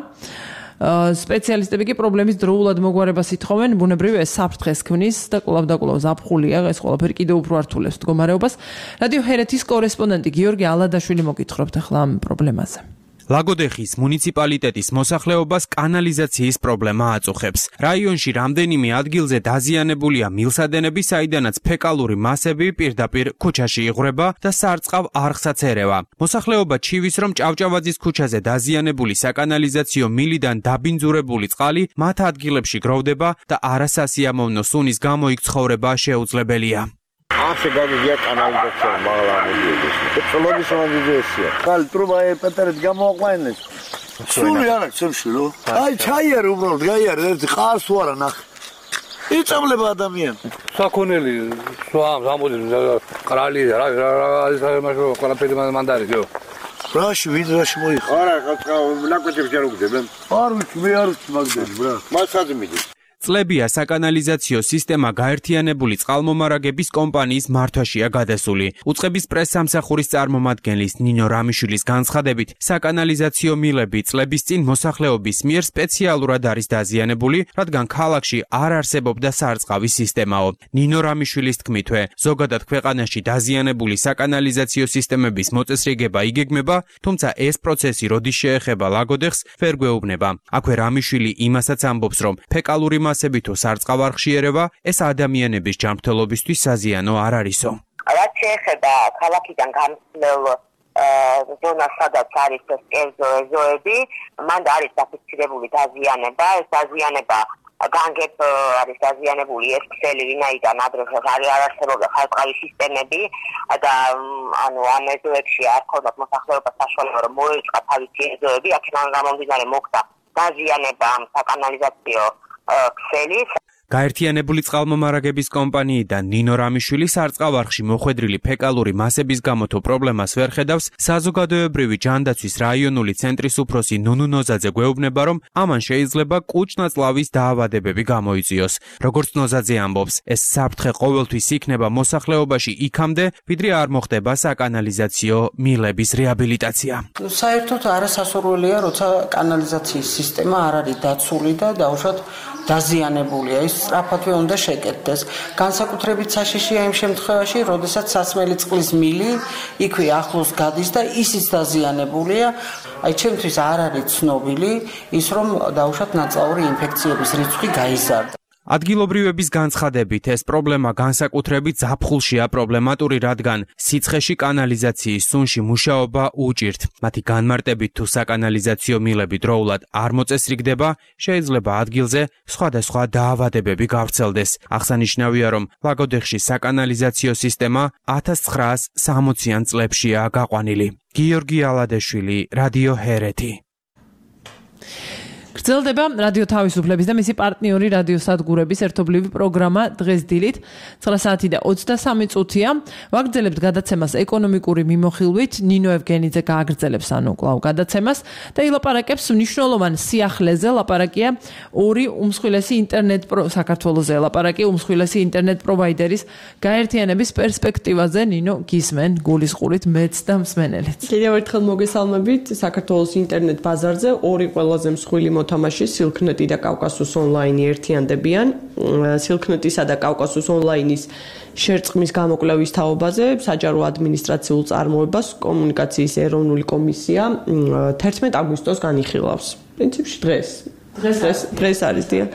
სპეციალისტები კი პრობლემის დროულად მოგვარებას ითხოვენ, ბუნებრივია ეს საფრთხეს ქმნის და კვლავ და კვლავ ზაფხულია, ეს ყველაფერი კიდევ უფრო ართულებს მდგომარეობას. რადიო ჰერეთის კორესპონდენტი გიორგი ალადაშვილი მოგითხრობთ ახლა ამ პრობლემაზე. ლაგოდეხის მუნიციპალიტეტის მოსახლეობას კანალიზაციის პრობლემა აწუხებს. რაიონში რამდენიმე ადგილზე დაზიანებულია მილსადენები, საიდანაც ფეკალური მასები პირდაპირ ქუჩაში იღვრება და სარწყავ არხსაც ერევა. მოსახლეობა ჩივის, რომ ჭავჭავაძის ქუჩაზე დაზიანებული საკანალიზაციო მილიდან დაბინძურებული წყალი მათ ადგილებში გროვდება და არასასიამოვნო სუნის გამო იქ ცხოვრება შეუძლებელია. ასე გაგიგია კანალიზაცია მაღლამოდიების. წლობის მომდიძესია. ხალი ტრუბა პეტერეთ გამოაყვანეს. სული არა ცემშილო. აი ჩაიარე უბრალოდ გაიარე ერთი ყავს თუ არა ნახე. იწამლება ადამიანი. საქონელი სვამ გამოდი ყრალი რა რა არის მაშო ყველაფერი მანდარი გო. რაში ვინ რაში მოიხ. არა ნაკვეთებს ჯერ უგდებენ. არ ვიცი მე არ ვიცი მაგდები ბრა. მასაც მიდის. წლებია საკანალიზაციო სისტემა გაერთიანებული წყალმომარაგების კომპანიის მართვაშია გადასული. უწყების პრესსამსახურის წარმომადგენლის ნინო რამიშვილის განცხადებით, საკანალიზაციო მილები წლების წინ მოსახლეობის მიერ სპეციალურად არის დაზიანებული, რადგან ქალაქში არ არსებობდა სარწყავის სისტემაო. ნინო რამიშვილის თქმითვე, ზოგადად ქვეყანაში დაზიანებული საკანალიზაციო სისტემების მოწესრიგება იგეგმება, თუმცა ეს პროცესი როდის შეეხება ლაგოდეხს, ვერ გვეუბნება. აქვე რამიშვილი იმასაც ამბობს, რომ ფეკალური მასები თუ სარწყავ არხში ერევა, ეს ადამიანების ჯანმრთელობისთვის საზიანო არ არისო. რაც შეეხება ქალაქიდან გამსვლელ ზონას, სადაც არის ეს კერძო ეზოები, მან არის დაფიქსირებული დაზიანება, ეს დაზიანება განგებ არის დაზიანებული ეს ქსელი, ვინაიდან ადრე არ არსებობდა სარწყავი სისტემები და ანუ ამ ეზოებში არ ქონდათ მოსახლეობას საშუალება, რომ მოეწყა თავისი ეზოები, აქედან გამომდინარე მოხდა დაზიანება ამ საკანალიზაციო ქსელის. გაერთიანებული წყალმომარაგების კომპანიიდან ნინო რამიშვილი სარწყავ არხში მოხვედრილი ფეკალური მასების გამო თუ პრობლემას ვერ ხედავს, საზოგადოებრივი ჯანდაცვის რაიონული ცენტრის უფროსი ნუნუ ნოზაძე გვეუბნება, რომ ამან შეიძლება კუჭნაწლავის დაავადებები გამოიწვიოს. როგორც ნოზაძე ამბობს, ეს საფრთხე ყოველთვის იქნება მოსახლეობაში იქამდე, ვიდრე არ მოხდება საკანალიზაციო მილების რეაბილიტაცია. საერთოდ არასასურველია, როცა კანალიზაციის სისტემა არ არის დაცული და დაუშვათ დაზიანებულია, ის სწრაფადვე უნდა შეკეთდეს. განსაკუთრებით საშიშია იმ შემთხვევაში, როდესაც სასმელი წყლის მილი იქვე ახლოს გადის და ისიც დაზიანებულია. აი ჩემთვის არ არის ცნობილი ის, რომ დაუშვათ ნაწლავური ინფექციების რიცხვი გაიზარდა. ადგილობრივების განცხადებით, ეს პრობლემა განსაკუთრებით ზაფხულშია პრობლემატური, რადგან სიცხეში კანალიზაციის სუნში მუშაობა უჭირთ. მათი განმარტებით თუ საკანალიზაციო მილები დროულად არ მოწესრიგდება, შეიძლება ადგილზე სხვადასხვა დაავადებები გავრცელდეს. აღსანიშნავია, რომ ლაგოდეხში საკანალიზაციო სისტემა ათას ცხრაას სამოციან წლებშია გაყვანილი. გიორგი ალადაშვილი, რადიო ჰერეთი. გრძელდება რადიო თავისუფლების და მისი პარტნიორი რადიო სადგურების ერთობლივი პროგრამა დღეს დილით ცხრა საათი და ოცდასამი წუთია. ვაგრძელებთ გადაცემას ეკონომიკური მიმოხილვით. ნინო ევგენიძე გააგრძელებს ანუ კვლავ გადაცემას და ილაპარაკებს მნიშვნელოვან სიახლეზე. ლაპარაკია ორი უმსხვილესი ინტერნეტ საქართველოზე ლაპარაკი უმსხვილესი ინტერნეტ პროვაიდერის გაერთიანების პერსპექტივაზე. ნინო გისმენ გულისყურით მეც და მსმენელიც. კიდევ ერთხელ მოგესალმებით. საქართველოს ინტერნეტ ბაზარზე ორი ყველაზე მსხვილი თამაში სილქნეტი და კავკასუს ონლაინი ერთიანდებიან. სილქნეტისა და კავკასუს ონლაინის შერწყმის გამოკვლევის თაობაზე საჯარო ადმინისტრაციულ წარმოებას კომუნიკაციის ეროვნული კომისია თერთმეტ აგვისტოს განიხილავს. პრინციპში დღეს დღეს დღეს არის დიახ.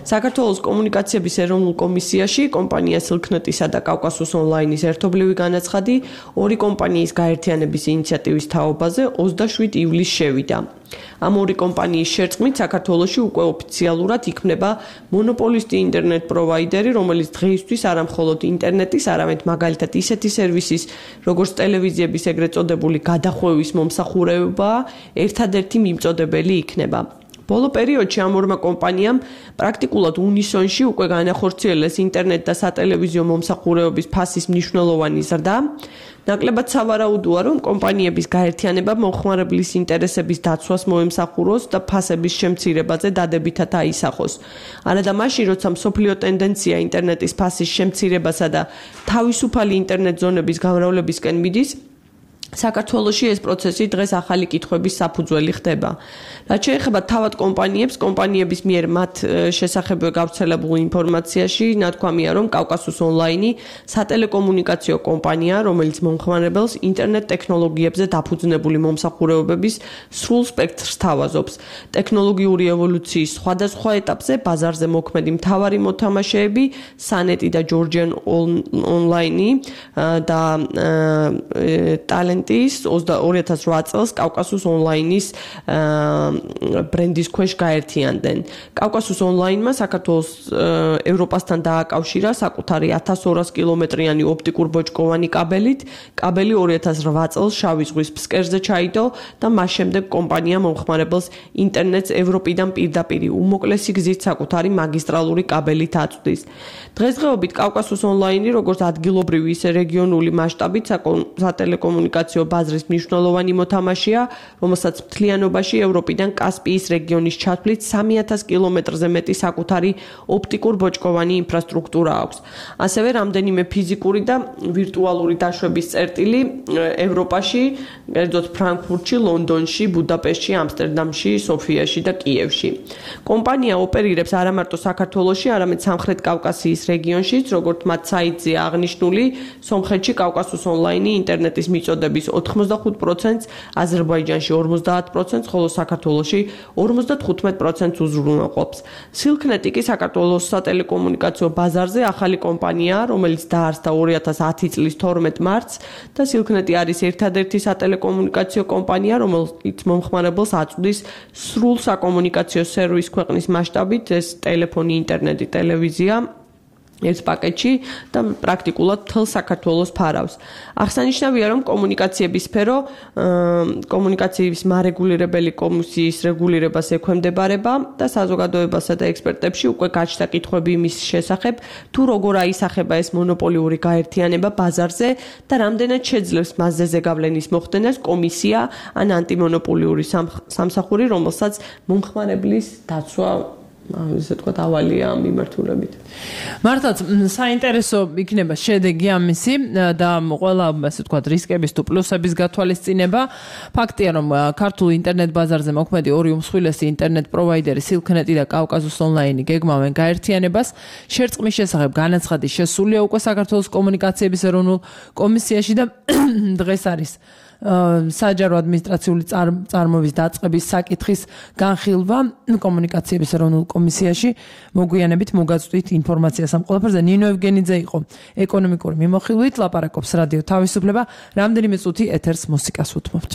საქართველოს კომუნიკაციების ეროვნულ კომისიაში კომპანია სილქნეტისა და კავკასუს ონლაინის ერთობლივი განაცხადი ორი კომპანიის გაერთიანების ინიციატივის თაობაზე ოცდაშვიდი ივლისს შევიდა. ამ ორი კომპანიის შერწყმით საქართველოში უკვე ოფიციალურად იქმნება მონოპოლისტი ინტერნეტ პროვაიდერი, რომელიც დღეისთვის არა მხოლოდ ინტერნეტის, არამედ მაგალითად ისეთი სერვისის, როგორც ტელევიზიების ეგრეთ წოდებული გადახვევის მომსახურებაა, ერთადერთი მიმწოდებელი იქნება. ბოლო პერიოდში ამ ორმა კომპანიამ პრაქტიკულად უნისონში უკვე განახორციელეს ინტერნეტ და სატელევიზიო მომსახურებების ფასის მნიშვნელოვანი ზრდა. ნაკლებად სავარაუდოა, რომ კომპანიების გაერთიანება მომხმარებლის ინტერესების დაცვას მოემსახუროს და ფასების შემცირებაზე დადებითად აისახოს. არადა მაშინ, როცა მსოფლიო ტენდენცია ინტერნეტის ფასის შემცირებასა და თავისუფალი ინტერნეტ ზონების გამრავლებისკენ მიდის, საქართველოში ეს პროცესი დღეს ახალი კითხვების საფუძველი ხდება. რაც შეეხება თავად კომპანიებს, კომპანიების მიერ მათ შესახებ გავრცელებულ ინფორმაციაში ნათქვამია, რომ კავკასუს ონლაინი სატელეკომუნიკაციო კომპანია, რომელიც მომხმარებელს ინტერნეტ ტექნოლოგიებზე დაფუძნებული მომსახურებების სრულ სპექტრს თავაზობს. ტექნოლოგიური ევოლუციის სხვადასხვა ეტაპზე ბაზარზე მოქმედი მთავარი მოთამაშეები, სანეტი და ჯორჯიან ონლაინი და ტალენტ ორი ათას ოთხ წელს კავკასუს ონლაინის ბრენდის ქვეშ გაერთიანდნენ. კავკასუს ონლაინმა საქართველოს ევროპასთან დააკავშირა საკუთარი ათას ორას კილომეტრიანი ოპტიკურ ბოჭკოვანი კაბელით. კაბელი ორი ათას ოთხ წელს შავი ზღვის ფსკერზე ჩაიდო და მას შემდეგ კომპანია მომხმარებელს ინტერნეტს ევროპიდან პირდაპირ უმოკლესი გზით საკუთარი მაგისტრალური კაბელით აწვდის. დღესდღეობით კავკასუს ონლაინი როგორც ადგილობრივი, ისე რეგიონული მასშტაბით სატელეკომუნიკაციო ბაზრის მნიშვნელოვანი მოთამაშეა, რომელსაც მთლიანობაში ევროპიდან კასპიის რეგიონის ჩათვლით სამი ათას კილომეტრზე მეტი საკუთარი ოპტიკურ ბოჭკოვანი ინფრასტრუქტურა აქვს. ასევე რამდენიმე ფიზიკური და ვირტუალური დაშვების წერტილი ევროპაში, კერძოდ ფრანკფურტში, ლონდონში, ბუდაპეშტში, ამსტერდამში, სოფიაში და კიევში. კომპანია ოპერირებს არა მარტო საქართველოში, არამედ სამხრეთ კავკასიის რეგიონშიც, როგორც მათ საიტზეა აღნიშნული, სომხეთში კავკასუს ონლაინი ინტერნეტის მიწოდების ოთხმოცდახუთ პროცენტს, აზერბაიჯანში ორმოცდაათ პროცენტს, ხოლო საქართველოში ორმოცდათხუთმეტ პროცენტს უზრუნველყოფს. სილქნეტი კი საქართველოს სატელეკომუნიკაციო ბაზარზე ახალი კომპანიაა, რომელიც დაარსდა ორი ათას ათი წლის თორმეტ მარტს და სილქნეტი არის ერთადერთი სატელეკომუნიკაციო კომპანია, რომელიც მომხმარებელს აწვდის სრულ საკომუნიკაციო სერვისს ქვეყნის მასშტაბით, ეს ტელეფონი, ინტერნეტი, ტელევიზია ერთ პაკეტში და პრაქტიკულად მთელ საქართველოს ფარავს. აღსანიშნავია, რომ კომუნიკაციების სფერო კომუნიკაციების მარეგულირებელი კომისიის რეგულირებას ექვემდებარება და საზოგადოებასა და ექსპერტებში უკვე გაჩნდა კითხვები იმის შესახებ, თუ როგორ აისახება ეს მონოპოლიური გაერთიანება ბაზარზე და რამდენად შეძლებს მასზე ზეგავლენის მოხდენას კომისია ან ანტიმონოპოლიური სამსახური, რომელსაც მომხმარებლის დაცვა ასე თქვა დავალია მიმართულებით. მართლაც საინტერესო იქნება შედეგი ამისი და ყველა ასე თქვა რისკების თუ პლუსების გათვალისწინება. ფაქტია, რომ ქართულ ინტერნეტ ბაზარზე მოქმედი ორი უმსხვილესი ინტერნეტ პროვაიდერი სილქნეტი და კავკასუს ონლაინი გეგმავენ გაერთიანებას. შერწყმის შესახებ განაცხადი შესულია უკვე საქართველოს კომუნიკაციების ეროვნულ კომისიაში და დღეს არის საჯარო ადმინისტრაციული წარმოების დაწყების საკითხის განხილვა კომუნიკაციების ეროვნულ კომისიაში. მოგვიანებით მოგაწვდით ინფორმაციას ამ ყველაფერზე. ნინო ევგენიძე იყო ეკონომიკური მიმოხილვით, ლაპარაკობს რადიო თავისუფლება. რამდენიმე წუთი ეთერს მუსიკას უთმობთ.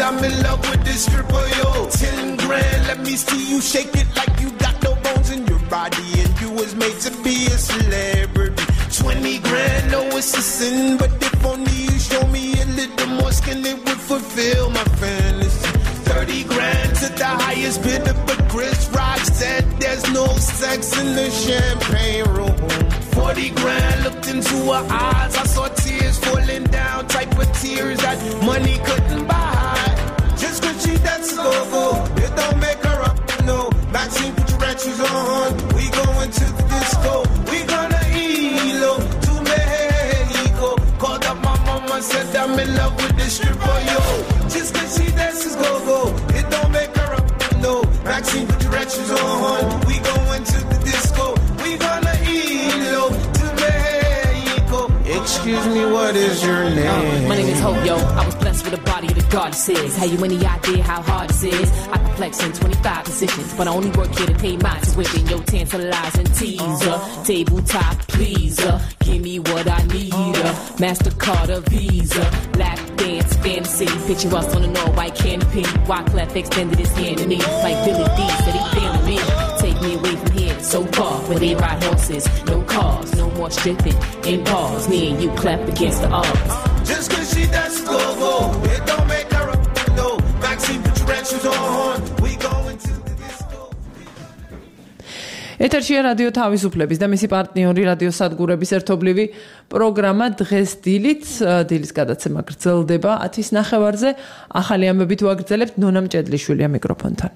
I'm in love with this stripper, yo. Ten grand, let me see you shake it like you got no bones in your body and you was made to be a celebrity. Twenty grand, no it's a sin, but if only you show me a little more skin, it would fulfill my fantasy. Thirty grand to the highest bidder, but Chris Rock said there's no sex in the champagne room. Forty grand, looked into her eyes, I saw tears falling down, type of tears that money couldn't buy. Just cause she dances go-go, it don't make her up, no. Maxine, put your red shoes on, we going to the disco. We gonna E L O to Mexico. Called up my mama, said I'm in love with this stripper, yo. Just cause she dances go-go, it don't make her up, no. Maxine, put your directions on. We going to the disco. We gonna eat low to Mexico. Excuse me, what is your name? Uh, my name is Hope, yo. I was blessed with a body of the goddesses. Have you any idea how hard this is? I can flex in twenty-five positions, but I only work here to pay my tuition. Yo, tantalizing teaser, tabletop pleaser. Give me what I need, uh, MasterCard or Visa. Lap dance fantasy, picture us on an all-white canopy. Wyclef extended his hand to me, like Billy D said he feeling me. Take me away from here, so far, where they ride horses. No cars, no more stripping in bars. Me and you clap against the odds. Just cause she does go-go, it don't make her a no. Maxine, put your directions on. We going to the disco. ეთერშია რადიო თავისუფლების და მისი პარტნიორი რადიო სადგურების ერთობლივი პროგრამა დღეს დილით დილის გადაცემა გრძელდება ათის ნახევარზე. ახალი ამბებით ვაგრძელებთ ნონა მჭედლიშვილია მიკროფონთან.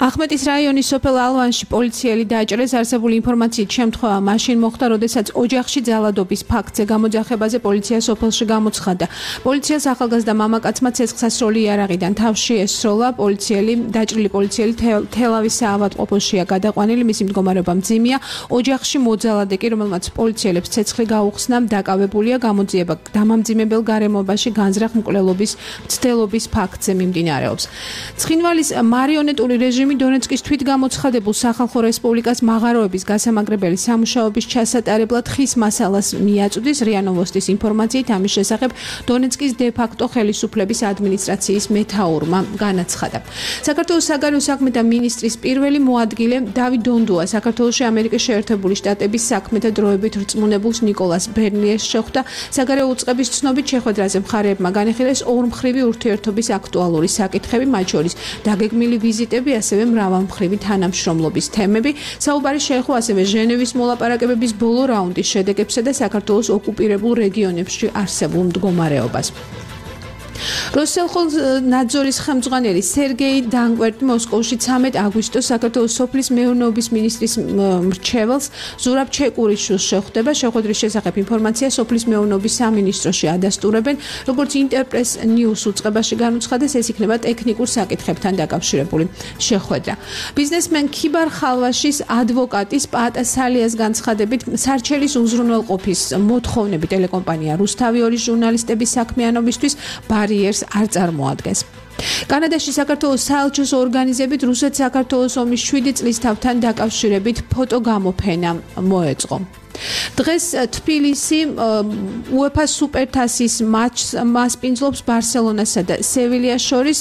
ახმეტის რაიონის სოფელ ალვანში პოლიციელი დააჭრეს. არსებული ინფორმაციით შემთხვევა მაშინ მოხდა, როდესაც ოჯახში ძალადობის ფაქტზე გამოძახებაზე პოლიცია სოფელში გამოცხადდა. პოლიციას ახალგაზრდა მამაკაცმა ცეცხლსასროლი იარაღიდან თავში ესროლა. პოლიციელი დაჭრილი პოლიციელი თელავის საავადმყოფოშია გადაყვანილი, მისი მდგომარეობა მძიმეა. ოჯახში მოძალადე კი, რომელმაც პოლიციელებს ცეცხლი გაუხსნა, დაკავებულია. გამოძიება დამამძიმებელ გარემოში განზრახ მკვლელობის მცდელობის ფაქტზე მიმდინარეობს. ცხინვალის მარიონეტული რეჟიმი დონეცკის თვითგამოცხადებულ სახალხო რესპუბლიკას მაღაროების გასამაგრებელი სამუშაოების ჩასატარებლად ხის მასალას მიაწვდის. რია ნოვოსტის ინფორმაციით ამის შესახებ დონეცკის დე-ფაქტო ხელისუფლების ადმინისტრაციის მეთაურმა განაცხადა. საქართველოს საგარეო საქმეთა მინისტრის პირველი მოადგილე დავით დონდუა საქართველოში ამერიკის შეერთებული შტატების საქმეთა დროებით რწმუნებულს ნიკოლას ბერნიერს შეხვდა. საგარეო უწყების ცნობით შეხვედრაზე მხარეებმა განიხილეს ორმხრივი ურთიერთობის აქტუალური საკითხები, მათ შორის დაგეგმილი ვიზიტები, ასევე მრავალმხრივი თანამშრომლობის თემები. საუბარი შეეხო ასევე ჟენევის მოლაპარაკებების ბოლო რაუნდის შედეგებსა და საქართველოს ოკუპირებულ რეგიონებში არსებულ მდგომარეობას. როსელხონაძორის ხელმძღვანელი სერგეი დანკვერტი მოსკოვში ცამეტ აგვისტოს საქართველოს სოფლის მეურნეობის მინისტრის მრჩეველს ზურაბ ჩეკურიშვილს შეხვდება. შეხვედრის შესახებ ინფორმაცია სოფლის მეურნეობის სამინისტროში ადასტურებენ. როგორც ინტერპრეს ნიუს უწყებაში განუცხადეს, ეს იქნება ტექნიკურ საკითხებთან დაკავშირებული შეხვედრა. ბიზნესმენ ქიბარ ხალვაშის ადვოკატის პაატა სალიას განცხადებით, სარჩელის უზრუნველყოფის მოთხოვნები ტელეკომპანია რუსთავი ორის ჟურნალისტების საქმიანობისთვის ბარიერს არ წარმოადგენს. კანადაში საქართველოს საელჩოს ორგანიზებით რუსეთ-საქართველოს ომის შვიდი წლის თავთან დაკავშირებით ფოტოგამოფენა მოეწყო. დღეს თბილისი უეფა სუპერთასის მატჩს მასპინძლობს ბარსელონასა და სევილიას შორის.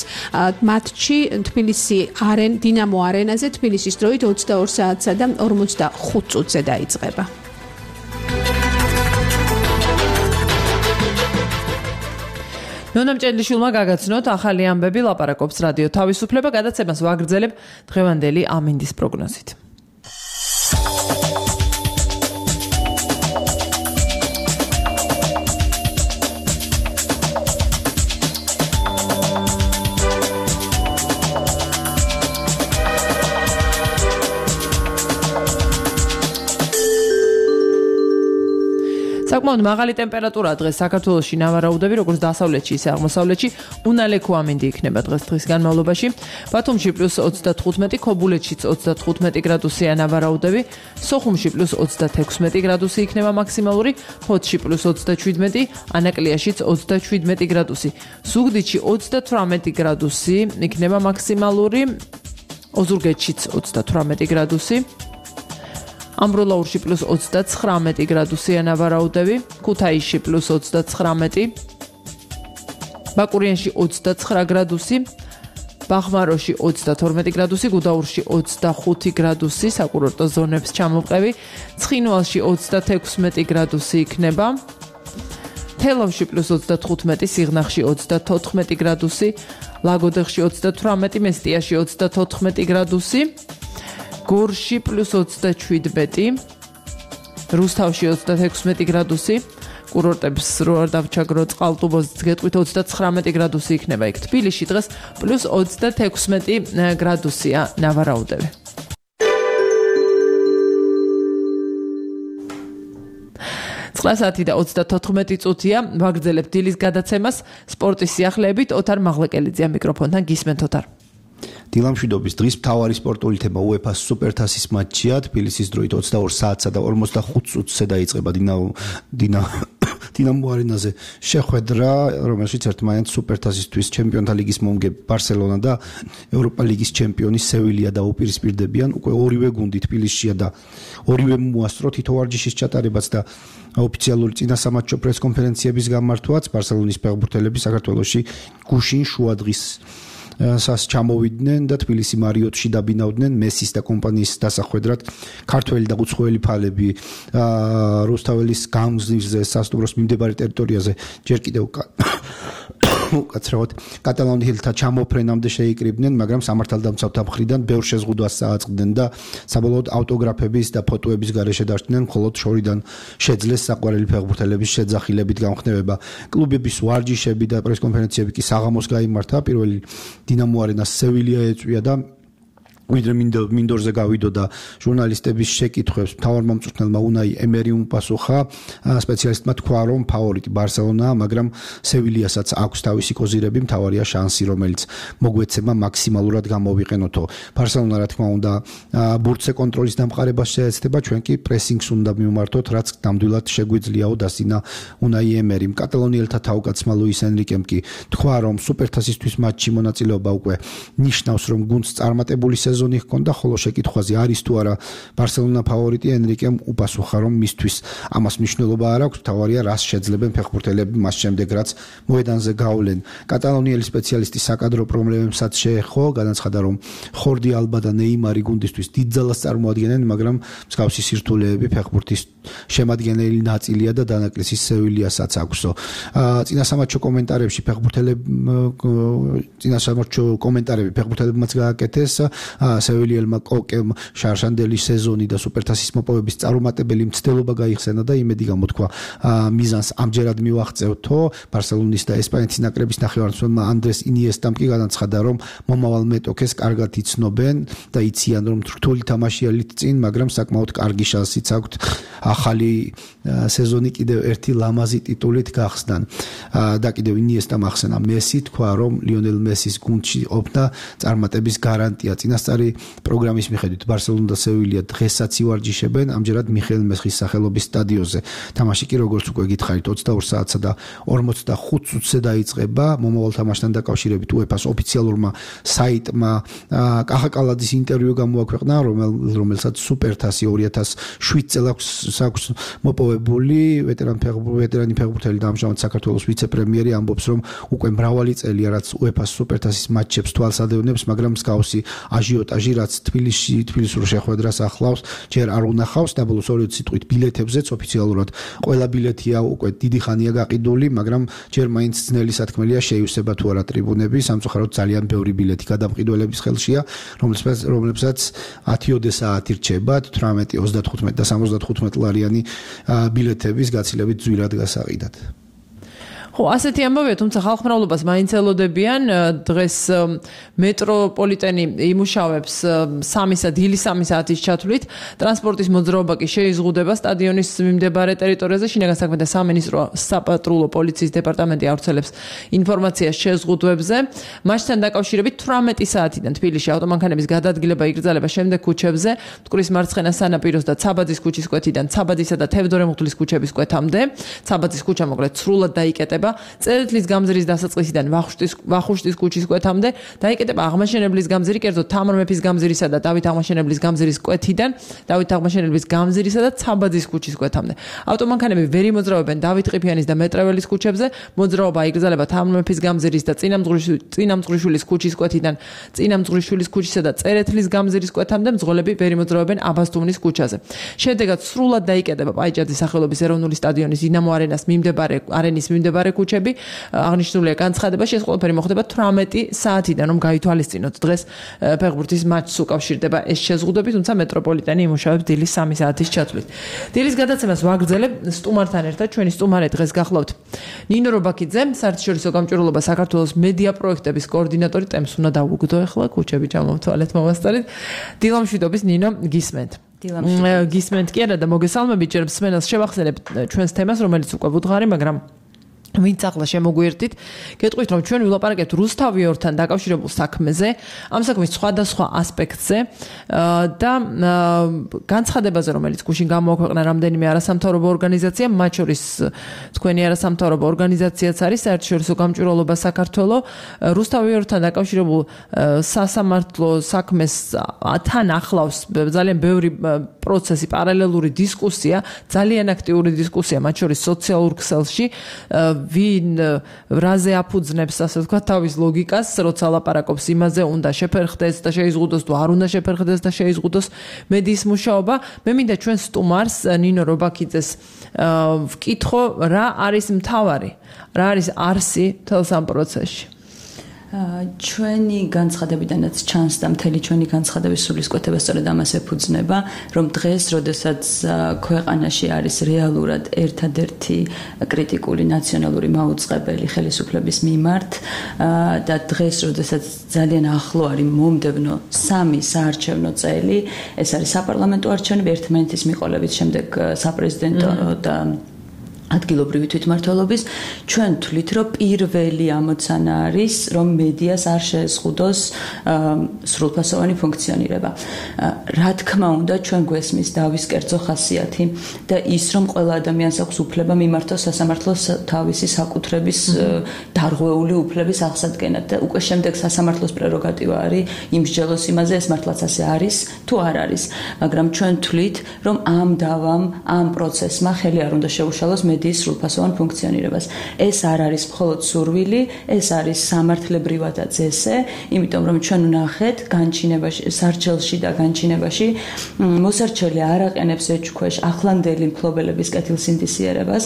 მატჩი თბილისი არენ დინამო არენაზე თბილისის დროით ოცდაორ საათსა და ორმოცდახუთ წუთზე დაიწყება. ნონა მჭედლიშვილმა გაგაცნოთ ახალი ამბები, ლაპარაკობს რადიო თავისუფლება. გადაცემას ვაგრძელებ დღევანდელი ამინდის პროგნოზით. საკმაოდ მაღალი ტემპერატურა დღეს საქართველოში ნავარაუდები, როგორც დასავლეთში, ისე აღმოსავლეთში. უნალექო ამინდი იქნება დღეს დღის განმავლობაში. ბათუმში პლუს ოცდათხუთმეტი, ქობულეთშიც ოცდათხუთმეტი გრადუსია ნავარაუდები, სოხუმში პლუს ოცდათექვსმეტი გრადუსი იქნება მაქსიმალური, ფოთში პლუს ოცდაშვიდმეტი, ანაკლიაშიც ოცდაშვიდმეტი გრადუსი, ზუგდიდში ოცდათვრამეტი გრადუსი იქნება მაქსიმალური, ოზურგეთშიც ოცდათვრამეტი გრადუსი. ამბროლაურში პლუს ოცდაცხრამეტი გრადუსია ნავარაუდები, ქუთაისში პლუს ოცდაცხრამეტი, ბაკურიანში ოცდაცხრა გრადუსი, ბახმაროში ოცდათორმეტი გრადუსი, გუდაურში ოცდახუთი გრადუსი, საკურორტო ზონებს ჩამოვყევი, ცხინვალში ოცდათექვსმეტი გრადუსი იქნება, თელავში პლუს ოცდათხუთმეტი, სიღნაღში ოცდათოთხმეტი გრადუსი, ლაგოდეხში ოცდათვრამეტი, მესტიაში ოცდათოთხმეტი გრადუსი, გორში პლუს ოცდაშვიდმეტი, რუსთავში ოცდათექვსმეტი გრადუსი, კურორტებს რო არ დავჩაგროთ, ყალტუბოზე გეტყვით ოცდაცხრამეტი გრადუსი იქნება იქ. თბილისში დღეს პლუს ოცდათექვსმეტი გრადუსია ნავარაუდები. ცხრა საათი და ოცდათოთხმეტი წუთია ვაგრძელებთ დილის გადაცემას სპორტის სიახლეებით. ოთარ მაღლეკელიძეა მიკროფონთან. გისმენთ ოთარ. დილამშვიდობის დღის მთავარი სპორტული თემა უეფა-ს სუპერთასის მატჩია. თბილისის დროით ოცდაორ საათსა და ორმოცდახუთ წუთზე დაიწყება დინამო დინამო დინამო არენაზე შეხვედრა, რომელშიც ერთმანეთს სუპერთასისთვის ჩემპიონთა ლიგის მომგებ ბარსელონა და ევროპა ლიგის ჩემპიონი სევილია დაუპირისპირდებიან. უკვე ორივე გუნდი თბილისშია და ორივე მოასწრო თითო ვარჯიშის ჩატარებაც და ოფიციალური წინასამატჩო პრესკონფერენციების გამართვაც. ბარსელონის ფეხბურთელები საქართველოში გუშინ შუადღის სას ჩამოვიდნენ და თბილისი მარიოტში დაბინავდნენ მესის და კომპანიის დასახვედრად. ქართველი და უცხოელი ფალები რუსთაველის გამზირზე სასტუმროს მიმდებარე ტერიტორიაზე ჯერ კიდევ უკაცრავად კატალონიელთა ჩამოფრენამდე შეიკრიბნენ, მაგრამ სამართალდამცავთა მხრიდან ბევრ შეზღუდვას წააწყდნენ და საბოლოოდ ავტოგრაფების და ფოტოების გარეშე დარჩნენ, მხოლოდ შორიდან შეძლეს საყვარელი ფეხბურთელების შეძახილებით გამხნევება. კლუბების ვარჯიშები და პრესკონფერენციები კი საღამოს გაიმართა. პირველი დინამო არენას სევილია ეწვია და ვიდრე მინდორზე გავიდო და ჟურნალისტების შეკითხვებს მთავარ მომწვრთნელმა უნაი ემერი უპასუხა. სპეციალისტმა თქვა, რომ ფავორიტი ბარსელონაა, მაგრამ სევილიასაც აქვს თავისი კოზირები, მთავარია შანსი, რომელიც მოგვეცემა მაქსიმალურად გამოვიყენოთო. ბარსელონა რა თქმა უნდა ბურთზე კონტროლის დამყარებას შეეცდება, ჩვენ კი პრესინგს უნდა მივმართოთ, რაც ნამდვილად შეგვიძლიაო დასინა უნაი ემერიმ. კატალონიელთა თავკაცმა ლუის ენრიკემ კი თქვა, რომ სუპერთასისთვის მატჩში მონაწილეობა უკვე ნიშნავს, რომ გუნდს წარმატებული სეზონი ჰქონდა, ხოლო შეკითხვაზე არის თუ არა ბარსელონა ფავორიტი, ენრიკემ უპასუხა, რომ მისთვის ამას მნიშვნელობა არ აქვს, თავარია რას შეძლებენ ფეხბურთელები მას შემდეგ, რაც მოედანზე გავლენ. კატალონიელი სპეციალისტი საკადრო პრობლემებსაც შეეხო, განაცხადა, რომ ხორდი ალბა და ნეიმარი გუნდისთვის დიდ ძალას წარმოადგენენ, მაგრამ მსგავსი სირთულეები ფეხბურთის შემადგენელი ნაწილია და დანაკლისის სევილიასაც აქვსო. წინასამატჩო კომენტარებში ფეხბურთელები წინასამატჩო კომენტარები ფეხბურთელებმაც გააკეთეს. სევილიელმა კოკემ შარშანდელი სეზონი და სუპერთასის მოპოვების წარუმატებელი მცდელობა გაიხსენა და იმედი გამოთქვა მიზანს ამჯერად მივაღწევთო. ბარსელონის და ესპანეთის ნაკრების ნახევარმცველმა ანდრეს ინიესტამ კი განაცხადა, რომ მომავალ მეტოქეს კარგად იცნობენ და იციან, რომ რთული თამაშიალით წინ, მაგრამ საკმაოდ კარგი შანსიც აქვთ ახალი სეზონი კიდევ ერთი ლამაზი ტიტულით გახსნან. და კიდევ ინიესტამ ახსენა მესი, თქვა, რომ ლიონელ მესის გუნდში ყოფნა წარმატების გარანტია. წინასწარი პროგრამის მიხედვით ბარსელონა და სევილია დღესაც ივარჯიშებენ, ამჯერად მიხეილ მესხის სახელობის სტადიონზე. თამაში კი როგორც უკვე გითხარით ოცდაორ საათსა და ორმოცდახუთ წუთზე დაიწყება. მომავალ თამაშთან დაკავშირებით უეფა-ს ოფიციალურმა საიტმა კახა კალაძის ინტერვიუ გამოაქვეყნა, რომელსაც სუპერთასი ორი ათას შვიდ წელს აქვს მოპოვებული. ვეტერანი ვეტერანი ფეხბურთელი და ამჟამად საქართველოს ვიცე-პრემიერი ამბობს, რომ უკვე მრავალი წელია, რაც უეფა-ს სუპერთასის მატჩებს თვალს ადევნებს, მაგრამ მსგავსი აჟიოტაჟი, რაც თბილისში თბილისურ შეხვედრას ახლავს, ჯერ არ უნახავს. და ბოლოს ორი სიტყვით ბილეთებზეც ოფიციალურად ყველა ბილეთია უკვე დიდი ხანია გაყიდული, მაგრამ ჯერ მაინც ძნელი სათქმელია შეივსება თუ არა ტრიბუნები. სამწუხაროდ ძალიან ბევრი ბილეთი გადამყიდველების ხელშია, რომლებსაც რომლებსაც ათიოდე საათი რჩება თვრამეტი, ოცდათხუთმეტი და სამოცდათხუთმეტი ლარიანი ბილეთების გაცილებით ძვირად გასაყიდად. ხო, ასეთი ამბავია, თუმცა ხალხმრავლობას მაინც ელოდებიან. დღეს მეტროპოლიტენი იმუშავებს სამისა დილის სამი საათის ჩათვლით. ტრანსპორტის მოძრაობა კი შეიზღუდება სტადიონის მიმდებარე ტერიტორიაზე. შინაგან საქმეთა სამინისტრო საპატრულო პოლიციის დეპარტამენტი ავრცელებს ინფორმაციას შეზღუდვებზე. მასთან დაკავშირებით თვრამეტი საათიდან თბილისში ავტომანქანების გადაადგილება იგრძელება შემდეგ ქუჩებზე, მტკვრის მარცხენა სანაპიროს და ცაბაძის ქუჩის კვეთიდან ცაბაძისა და თევდორე მუხტლის ქუჩების კვეთამდე. ცაბაძის ქუჩა მოკლედ სრულად დაიკეტება. წერეთლის გამზირის დასაწყისიდან ვახუშტის ვახუშტის ქუჩის კვეთამდე დაიკეტება აღმაშენებლის გამზირი, კერძოდ თამარ მეფის გამზირისა და დავით აღმაშენებლის გამზირის კვეთიდან დავით აღმაშენებლის გამზირისა და ცაბაძის ქუჩის კვეთამდე. ავტომანქანები ვერ იმოძრავებენ დავით ყიფიანის და მეტრეველის ქუჩებზე. მოძრაობა იგრძელება თამარ მეფის გამზირის და წინამძღვრიშვილის ქუჩის კვეთიდან წინამძღვრიშვილის ქუჩისა და წერეთლის გამზირის კვეთამდე. მძღოლები ვერ იმოძრავებენ აბასთუმნის ქუჩაზე. შედეგად სრულად დაიკეტება პაიჭაძის სახელობის ეროვნული სტადიონის დინამო არენას მიმდებარე არენის მიმდებარე ქუჩები. აღნიშნულია განცხადება, ეს ყველაფერი მოხდება თვრამეტი საათიდან, რომ გაითვალისწინოთ დღეს ფეხბურთის მატჩს უკავშირდება ეს შეზღუდვები, თუმცა მეტროპოლიტენი იმუშავებს დილის სამი საათის ჩათვლით. დილის გადაცემას ვაგრძელებ სტუმართან ერთად. ჩვენი სტუმარი დღეს გახლავთ ნინო რობაქიძე, საერთაშორისო გამჭვირვალობა საქართველოს მედია პროექტების კოორდინატორი. ტემს უნდა დავუგდო ახლა, ქუჩები ჩამოვთვალეთ მომასწორით. დილამშვიდობის ნინო, გისმენთ. გისმენთ კი არა და მოგესალმებით ჯერ მსმენელს შევახსენებ ჩვენს თემას რომელიც უკვე ვუდგარი მაგრამ ვინც ახლა შემოგვიერთით, გეტყვით რომ ჩვენ ვილაპარაკებთ რუსთავიორთან დაკავშირებულ საქმეზე, ამ საქმის სხვადასხვა ასპექტზე და განცხადებაზე, რომელიც გუშინ გამოაქვეყნა რამდენიმე არასამთავრობო ორგანიზაცია, მათ შორის თქვენი არასამთავრობო ორგანიზაციაც არის საერთაშორისო გამჭვირვალობა საქართველო, რუსთავიორთან დაკავშირებულ სასამართლო საქმეს თან ახლავს ძალიან ბევრი პროცესი, პარალელური დისკუსია, ძალიან აქტიური დისკუსია, მათ შორის სოციალურ ქსელში ვინ რაზე აფუძნებს ასე ვთქვათ თავის ლოგიკას, როცა ლაპარაკობს იმაზე, უნდა შეფერხდეს და შეიზღუდოს თუ არ უნდა შეფერხდეს და შეიზღუდოს მედიის მუშაობა. მე მინდა ჩვენ სტუმარს ნინო რობაქიძეს ვკითხო, რა არის მთავარი, რა არის არსი თელს ამ პროცესში. ჩვენი განცხადებიდანაც ჩანს და მთელი ჩვენი განცხადების სულისკვეთება სწორედ ამას ეფუძნება, რომ დღეს, როდესაც ქვეყანაში არის რეალურად ერთადერთი კრიტიკული ნაციონალური მაუწყებელი ხელისუფლების მიმართ და დღეს, როდესაც ძალიან ახლო არის მომდევნო სამი საარჩევნო წელი, ეს არის საპარლამენტო არჩევნები, ერთმანეთის მიყოლებით, შემდეგ საპრეზიდენტო და ადგილობრივი თვითმმართველობის, ჩვენ თვლით, რომ პირველი ამოცანა არის, რომ მედიას არ შეეზღუდოს სრულფასოვანი ფუნქციონირება. რა თქმა უნდა, ჩვენ გვესმის დავის კერძო ხასიათი და ის, რომ ყველა ადამიანს აქვს უფლება მიმართოს სასამართლოს თავისი საკუთრების დარღვეული უფლების აღსადგენად და უკვე შემდეგ სასამართლოს პრეროგატივა არის იმსჯელოს იმაზე, ეს მართლაც ასე არის თუ არ არის. მაგრამ ჩვენ თვლით, რომ ამ დავამ, ამ პროცესმა ხელი არ უნდა შეუშალოს მედიის სრულფასოვან ფუნქციონირებას. ეს არ არის მხოლოდ სურვილი, ეს არის სამართლებრივადაც ესე, იმიტომ რომ ჩვენ ვნახეთ განჩინებაში, სარჩელში და განჩინებაში მოსარჩელი არ აყენებს ეჭქვეშ ახლანდელი მფლობელების კეთილსინდისიერებას.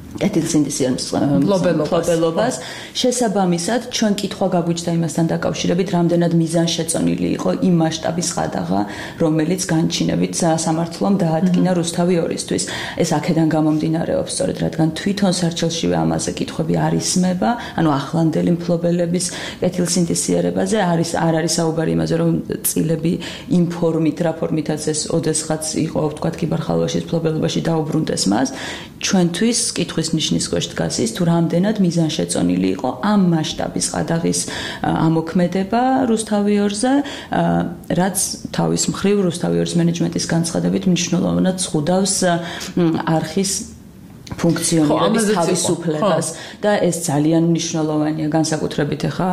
კეთილსინდისიერებას შესაბამისად ჩვენ კითხვა გაგვიჩნდა იმასთან დაკავშირებით, რამდენად მიზანშეწონილი იყო იმ მასშტაბის ყადაღა, რომელიც განჩინებით სამართლომ დაადგინა რუსთავი ორისთვის. ეს აქედან გამომდინარეობს სწორედ, რადგან თვითონ სარჩელშივე ამაზე კითხვები არ ისმება, ანუ ახლანდელი მფლობელების კეთილსინდისიერებაზე არის არ არის საუბარი იმაზე, რომ წილები იმ ფორმით, რა ფორმითაც ეს ოდესღაც იყო, ვთქვათ, კიბერხალვაშის მფლობელობაში დაუბრუნდეს მას, ჩვენთვის კითხვის ნიშნის ქვეშ დგას ის, თუ რამდენად მიზანშეწონილი იყო ამ მასშტაბის ყადაღის ამოქმედება რუსთავიორზე, რაც თავის მხრივ რუსთავიორის მენეჯმენტის განცხადებით მნიშვნელოვნად ზღუდავს არხის ფუნქციონირების თავისუფლებას და ეს ძალიან მნიშვნელოვანია განსაკუთრებით ახლა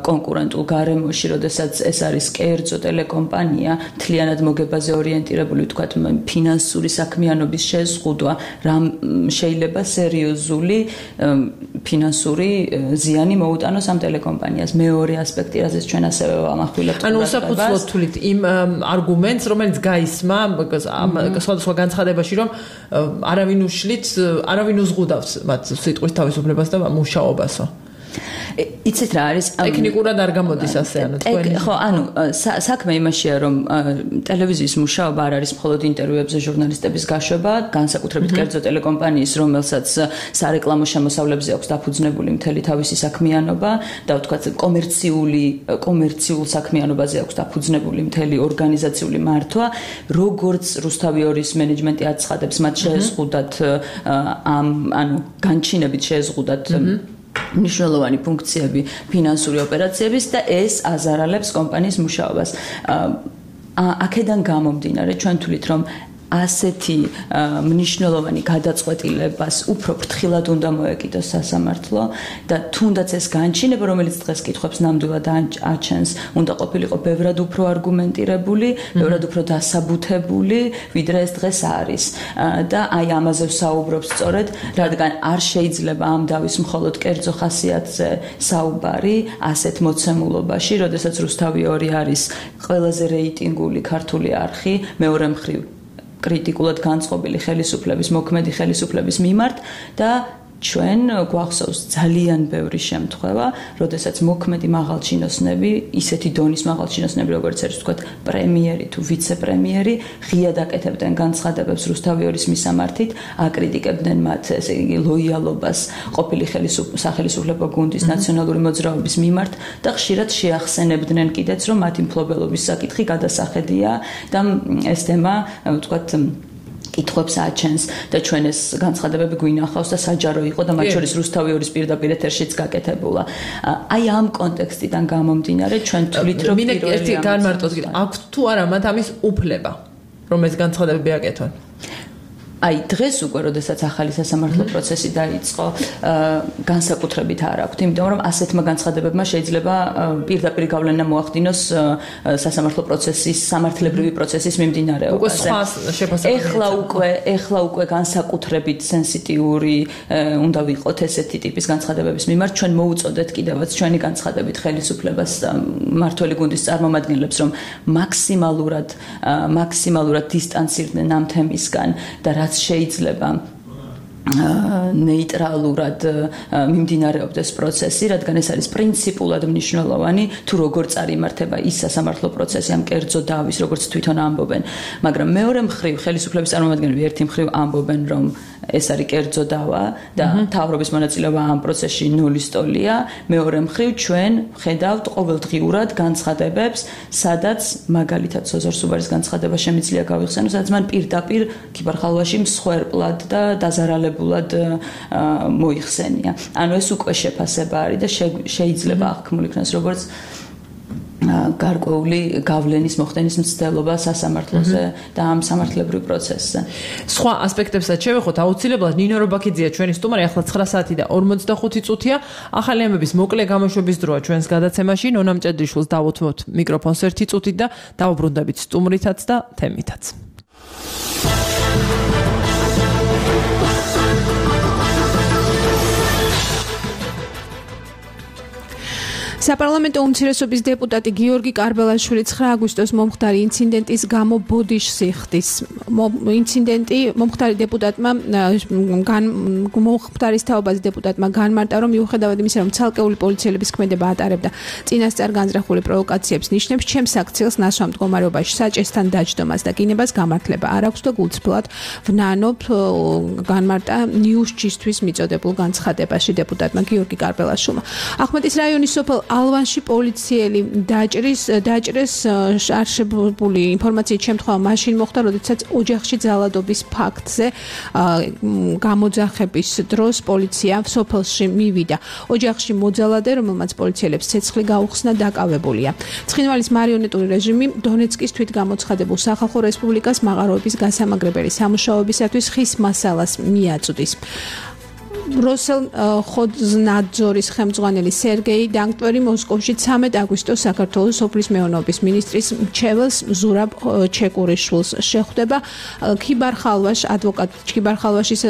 კონკურენტულ გარემოში, როდესაც ეს არის კერძო ტელეკომპანია, მთლიანად მოგებაზე ორიენტირებული, ვთქვათ, ფინანსური საქმიანობის შეზღუდვა, რამ შეიძლება სერიოზული ფინანსური ზიანი მოუტანოს ამ ტელეკომპანიას. მეორე ასპექტი, რაზეც ჩვენ ასევე ვამახვილებთ. ანუ უსაფუძვლოდ თვლით იმ არგუმენტს, რომელიც გაისმა სხვადასხვა განცხადებაში, რომ არავინ უშლით არავინ უზღუდავს მათ სიტყვის თავისუფლებას და მუშაობასო. იცით რა არის? ტექნიკურად არ გამოდის ასე, ანუ თქვენი. ხო, ანუ საქმე იმაშია, რომ ტელევიზიის მუშაობა არ არის მხოლოდ ინტერვიუებზე ჟურნალისტების გაშვება, განსაკუთრებით კერძო ტელეკომპანიის, რომელსაც სარეკლამო შემოსავლებზე აქვს დაფუძნებული მთელი თავისი საქმიანობა და ვთქვათ, კომერციული კომერციულ საქმიანობაზე აქვს დაფუძნებული მთელი ორგანიზაციული მართვა, როგორც რუსთავიორის მენეჯმენტი აცხადებს, მათ შეეზღუდათ ამ ანუ განჩინებით შეეზღუდათ მნიშვნელოვანი ფუნქციები ფინანსური ოპერაციების და ეს აზარალებს კომპანიის მუშაობას. აქედან გამომდინარე, ჩვენ თვლით, რომ ასეთი მნიშვნელოვანი გადაწყვეტილებას უფრო ფრთხილად უნდა მოეკიდოს სასამართლო და თუნდაც ეს განჩინება, რომელიც დღეს კითხვებს ნამდვილად აჩენს, უნდა ყოფილიყო ბევრად უფრო არგუმენტირებული, ბევრად უფრო დასაბუთებული, ვიდრე ეს დღეს არის. და აი ამაზე ვსაუბრობ სწორედ, რადგან არ შეიძლება ამ დავის მხოლოდ კერძო ხასიათზე საუბარი ასეთ მოცემულობაში, როდესაც რუსთავი ორი არის ყველაზე რეიტინგული ქართული არხი, მეორე მხრივ კრიტიკულად განწყობილი ხელისუფლების, მოქმედი ხელისუფლების მიმართ და ჩვენ გვახსოვს ძალიან ბევრი შემთხვევა, როდესაც მოქმედი მაღალჩინოსნები, ისეთი დონის მაღალჩინოსნები, როგორც არის ვთქვათ, პრემიერი თუ ვიცე-პრემიერი, ღიად აკეთებდნენ განცხადებებს რუსთავიორის მისამართით, აკრიტიკებდნენ მათ, ესე იგი, ლოიალობას ყოფილი სახელმწიფო გუნდის ნაციონალური მოძრაობის მიმართ და ხშირად შეახსენებდნენ კიდეც, რომ მათი მფლობელობის საკითხი გადასახედია და ეს თემა, ვთქვათ, კითხვებს აჩენს და ჩვენ ეს განცხადებები გვინახავს და საჯარო იყო და მათ შორის რუსთავიორის პირდაპირ ეთერშიც გაკეთებულა. აი ამ კონტექსტიდან გამომდინარე ჩვენ თვლით რომ პირველი ერთი განმარტოთ კიდე აქვს თუ არა მათ ამის უფლება რომ ეს განცხადებები აკეთონ. აი დღეს უკვე როდესაც ახალი სასამართლო პროცესი დაიწყო, განსაკუთრებით არ აქვს, იმიტომ რომ ასეთმა განცხადებებმა შეიძლება პირდაპირ გავლენა მოახდინოს სასამართლო პროცესის, სამართლებრივი პროცესის მიმდინარეობაზე. ეხლა უკვე, ეხლა უკვე განსაკუთრებით სენსიტიური უნდა ვიყოთ ესეთი ტიპის განცხადებების მიმართ, ჩვენ მოუწოდეთ კიდევაც ჩვენი განცხადებით ხელისუფლებას მმართველი გუნდის წარმომადგენლებს, რომ მაქსიმალურად, მაქსიმალურად დისტანცირდნენ ამ თემისგან და რაც შეიძლება ნეიტრალურად მიმდინარეობდეს პროცესი, რადგან ეს არის პრინციპულად მნიშვნელოვანი, თუ როგორ წარიმართება ის სასამართლო პროცესი ამ კერძო დავის, როგორც თვითონ ამბობენ. მაგრამ მეორე მხრივ ხელისუფლების წარმომადგენლები ერთი მხრივ ამბობენ, რომ ეს არის კერძო დავა და მთავრობის მონაწილეობა ამ პროცესში ნულის ტოლია. მეორე მხრივ ჩვენ ხედავთ ყოველდღიურად განცხადებებს, სადაც მაგალითად სოზორ სუბარის განცხადება შემიძლია გავიხსენო, სადაც მან პირდაპირ ქიბარ-ხალვაში მსხვერპლად და დაზარალებულად მოიხსენია. ანუ ეს უკვე შეფასება არის და შეიძლება აღქმულ იქნას როგორც გარკვეული გავლენის მოხდენის მცდელობა სასამართლოზე და ამ სამართლებრივ პროცესზე. სხვა ასპექტებსაც შევეხოთ, აუცილებლად ნინო რობაქიძეა ჩვენი სტუმარი, ახლა ცხრა საათი და ორმოცდახუთი წუთია. ახალი ამბების მოკლე გამოშვების დროა ჩვენს გადაცემაში. ნონა მჭედრიშვილს დავუთმობთ მიკროფონს ერთი წუთით და დავუბრუნდებით სტუმრითაც და თემითაც. საპარლამენტო უმცირესობის დეპუტატი გიორგი კარბელაშვილი ცხრა აგვისტოს მომხდარი ინციდენტის გამო ბოდიშს იხდის. ინციდენტი მომხდარი დეპუტატმა მომხდარის თაობაზე დეპუტატმა განმარტა, რომ მიუხედავად იმისა, რომ ცალკეული პოლიციელების ქმედება ატარებდა წინასწარ განზრახული პროვოკაციებს ნიშნებს, ჩემს აქციელს ნასვამ მდგომარეობაში საჭესთან დაჯდომას და კინებას გამართლება არ აქვს და გულწრფელად ვნანობ, განმარტა ნიუსჯისთვის მიწოდებულ განცხადებაში დეპუტატმა გიორგი კარბელაშვილმა. ახმეტის რაიონის სოფელ ალვანში პოლიციელი დაჭრის დაჭრეს არშებული ინფორმაციით შემთხვევა მაშინ მოხდა, როდესაც ოჯახში ძალადობის ფაქტზე გამოძახების დროს პოლიცია სოფელში მივიდა. ოჯახში მოძალადე, რომელმაც პოლიციელებს ცეცხლი გაუხსნა, დაკავებულია. ცხინვალის მარიონეტული რეჟიმი დონეცკის თვითგამოცხადებულ სახალხო რესპუბლიკას მაღაროების გასამაგრებელი სამუშაოებისათვის ხის მასალას მიაწვდის. როსელ ხოძნაძორის ხელმძღვანელი სერგეი დანკვერი მოსკოვში ცამეტ აგვისტოს საქართველოს სოფლის მეურნეობის მინისტრის მრჩეველს ზურაბ ჩეკურიშვილს შეხვდება. ქიბარ-ხალვაშ ადვოკატ ქიბარ-ხალვაშის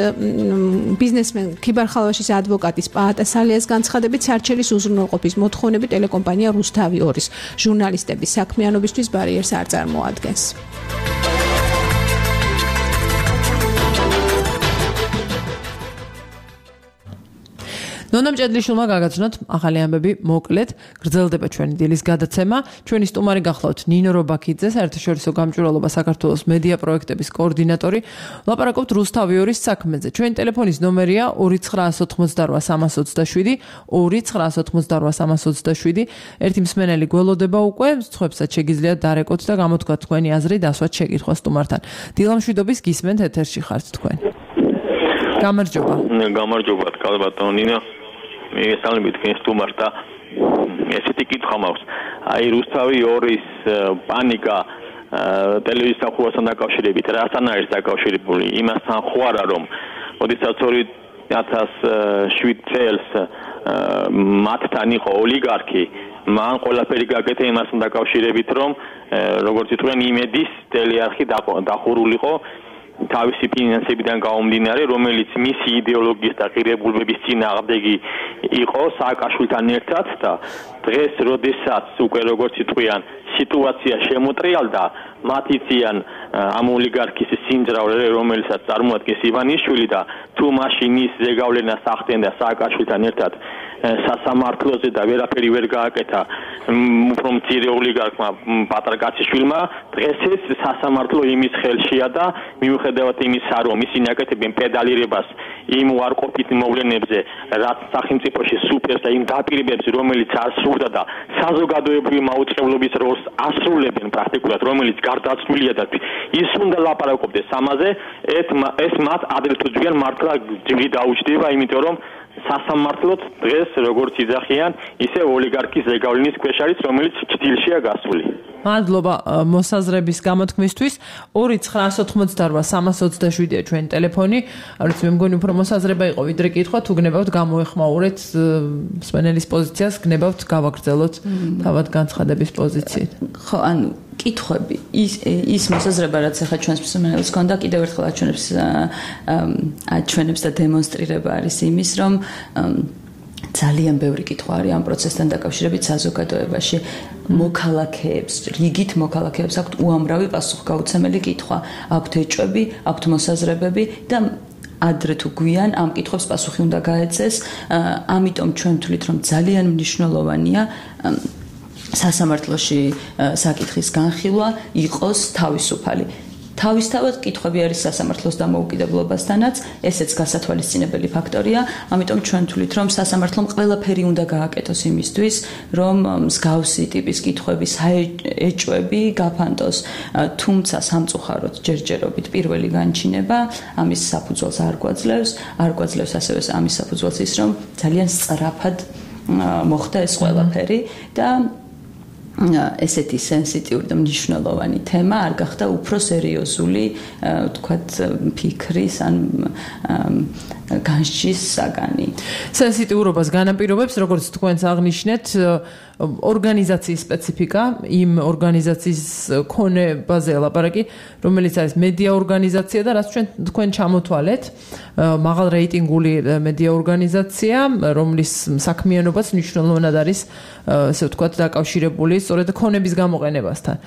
ბიზნესმენ ქიბარ-ხალვაშის ადვოკატის პაატა სალიას განცხადებით სარჩელის უზრუნველყოფის მოთხოვნები ტელეკომპანია რუსთავი ორის ჟურნალისტების საქმიანობისთვის ბარიერს არ წარმოადგენს. ნონა მჭედრიშვილმა გაგაცნოთ ახალი ამბები მოკლედ, გრძელდება ჩვენი დილის გადაცემა. ჩვენი სტუმარი გახლავთ ნინო რობაქიძე, საერთაშორისო გამჭვირვალობა საქართველოს მედია პროექტების კოორდინატორი. ლაპარაკობთ რუსთავი ორის საქმეზე. ჩვენი ტელეფონის ნომერია ორი ცხრაასი ოცდაოთხი სამას ოცდაშვიდი, ორი ცხრაასი ოცდაოთხი სამას ოცდაშვიდი. ერთი მსმენელი გველოდება უკვე, სხვებსაც შეგიძლიათ დარეკოთ და გამოთქვათ თქვენი აზრი დასვათ შეკითხვა სტუმართან. დილამშვიდობის გისმენთ ეთერში ხართ თქვენ. გამარჯობა. გამარჯობა, კალბატონო ნინო. მიგესალმებით თქვენ სტუმარს და ესეთი კითხვა მაქვს. აი რუსთავი ორის პანიკა ტელევიზიის სახურასთან დაკავშირებით რასთან არის დაკავშირებული? იმასთან ხო არა რომ ოდესაც ორი ათას შვიდ წელს მათთან იყო ოლიგარქი, მან ყველაფერი გაკეთა იმასთან დაკავშირებით რომ როგორც იტყვიან იმედის ტელეარხი დახურულიყო თავისი ფინანსებიდან გამომდინარე, რომელიც მისი იდეოლოგიის და ღირებულებების წინააღმდეგი იყო სააკაშვილთან ერთად და დღეს როდესაც უკვე როგორც იტყვიან სიტუაცია შემოტრიალდა, მათ იციან ამ ოლიგარქის სიმძრავლე, რომელსაც წარმოადგენს ივანიშვილი და თუ მაშინ ის ზეგავლენას ახდენ და სააკაშვილთან ერთად სასამართლოზე და ვერაფერი ვერ გააკეთა უფრო მცირე ოლიგარქმა პატრაკაციშვილმა, დღეს ეს სასამართლო იმის ხელშია და მიუხედავად იმისა, რომ ისინი აკეთებენ პედალირებას იმ უარყოფით მოვლენებზე, რაც სახელმწიფოში სუფევს და იმ დაპირებებს, რომელიც ასრულდა და საზოგადოებრივი მაუწყებლობის როლს ასრულებენ პრაქტიკულად, რომელიც გარდაცვლილია და ის უნდა ლაპარაკობდეს ამაზე, ეს მათ ადრე თუ ჯერ მართლა ჯირი დაუჭდება, იმიტომ რომ სასამართლოდ დღეს როგორც იძახიან, ისე ოლიგარქის ზეგავლენის ქვეშ არის, რომელიც ჭდილშია გასული. მადლობა მოსაზრების გამოთქმისთვის. ორი ცხრა ოთხმოცდაოთხ სამას ოცდაშვიდია ჩვენი ტელეფონი. არც მე მგონი უფრო მოსაზრება იყო ვიდრე კითხვა, თუ გნებავთ გამოეხმაურეთ მსმენელის პოზიციას, გნებავთ გავაგრძელოთ თავად განცხადების პოზიციით. ხო, ანუ კითხვები ის ის მოსაზრება რაც ახლა ჩვენს მსმენელს ჰქონდა კიდევ ერთხელ აჩვენებს აჩვენებს და დემონსტრირება არის იმის რომ ძალიან ბევრი კითხვა არის ამ პროცესთან დაკავშირებით საზოგადოებაში მოქალაქეებს რიგით მოქალაქეებს აქვთ უამრავი პასუხგაუცემელი კითხვა აქვთ ეჭვები აქვთ მოსაზრებები და ადრე თუ გვიან ამ კითხვებს პასუხი უნდა გაეცეს ამიტომ ჩვენ ვთვლით რომ ძალიან მნიშვნელოვანია სასამართლოში საკითხის განხილვა იყოს თავისუფალი. თავისთავად კითხვები არის სასამართლოს დამოუკიდებლობასთანაც, ესეც გასათვალისწინებელი ფაქტორია, ამიტომ ჩვენ ვთვლით, რომ სასამართლომ ყველაფერი უნდა გააკეთოს იმისთვის, რომ მსგავსი ტიპის კითხვები, საეჭვები გაფანტოს, თუმცა სამწუხაროდ ჯერჯერობით პირველი განჩინება ამის საფუძველს არ გვაძლევს, არ გვაძლევს ასევე ამის საფუძველს ის, რომ ძალიან სწრაფად მოხდა ეს ყველაფერი და ესეთი სენსიტიური და მნიშვნელოვანი თემა არ გახდა უფრო სერიოზული, ვთქვათ, ფიქრის ან განსჯის საგანი. სენსიტიურობას განაპირობებს, როგორც თქვენს აღნიშნეთ, ორგანიზაციის სპეციფიკა, იმ ორგანიზაციის ქონებაზე ლაპარაკი, რომელიც არის მედია ორგანიზაცია და რაც ჩვენ თქვენ ჩამოთვალეთ, მაღალ რეიტინგული მედია ორგანიზაცია, რომლის საქმიანობაც მნიშვნელოვნად არის, ესე ვთქვათ, დაკავშირებული სწორედ ქონების გამოყენებასთან.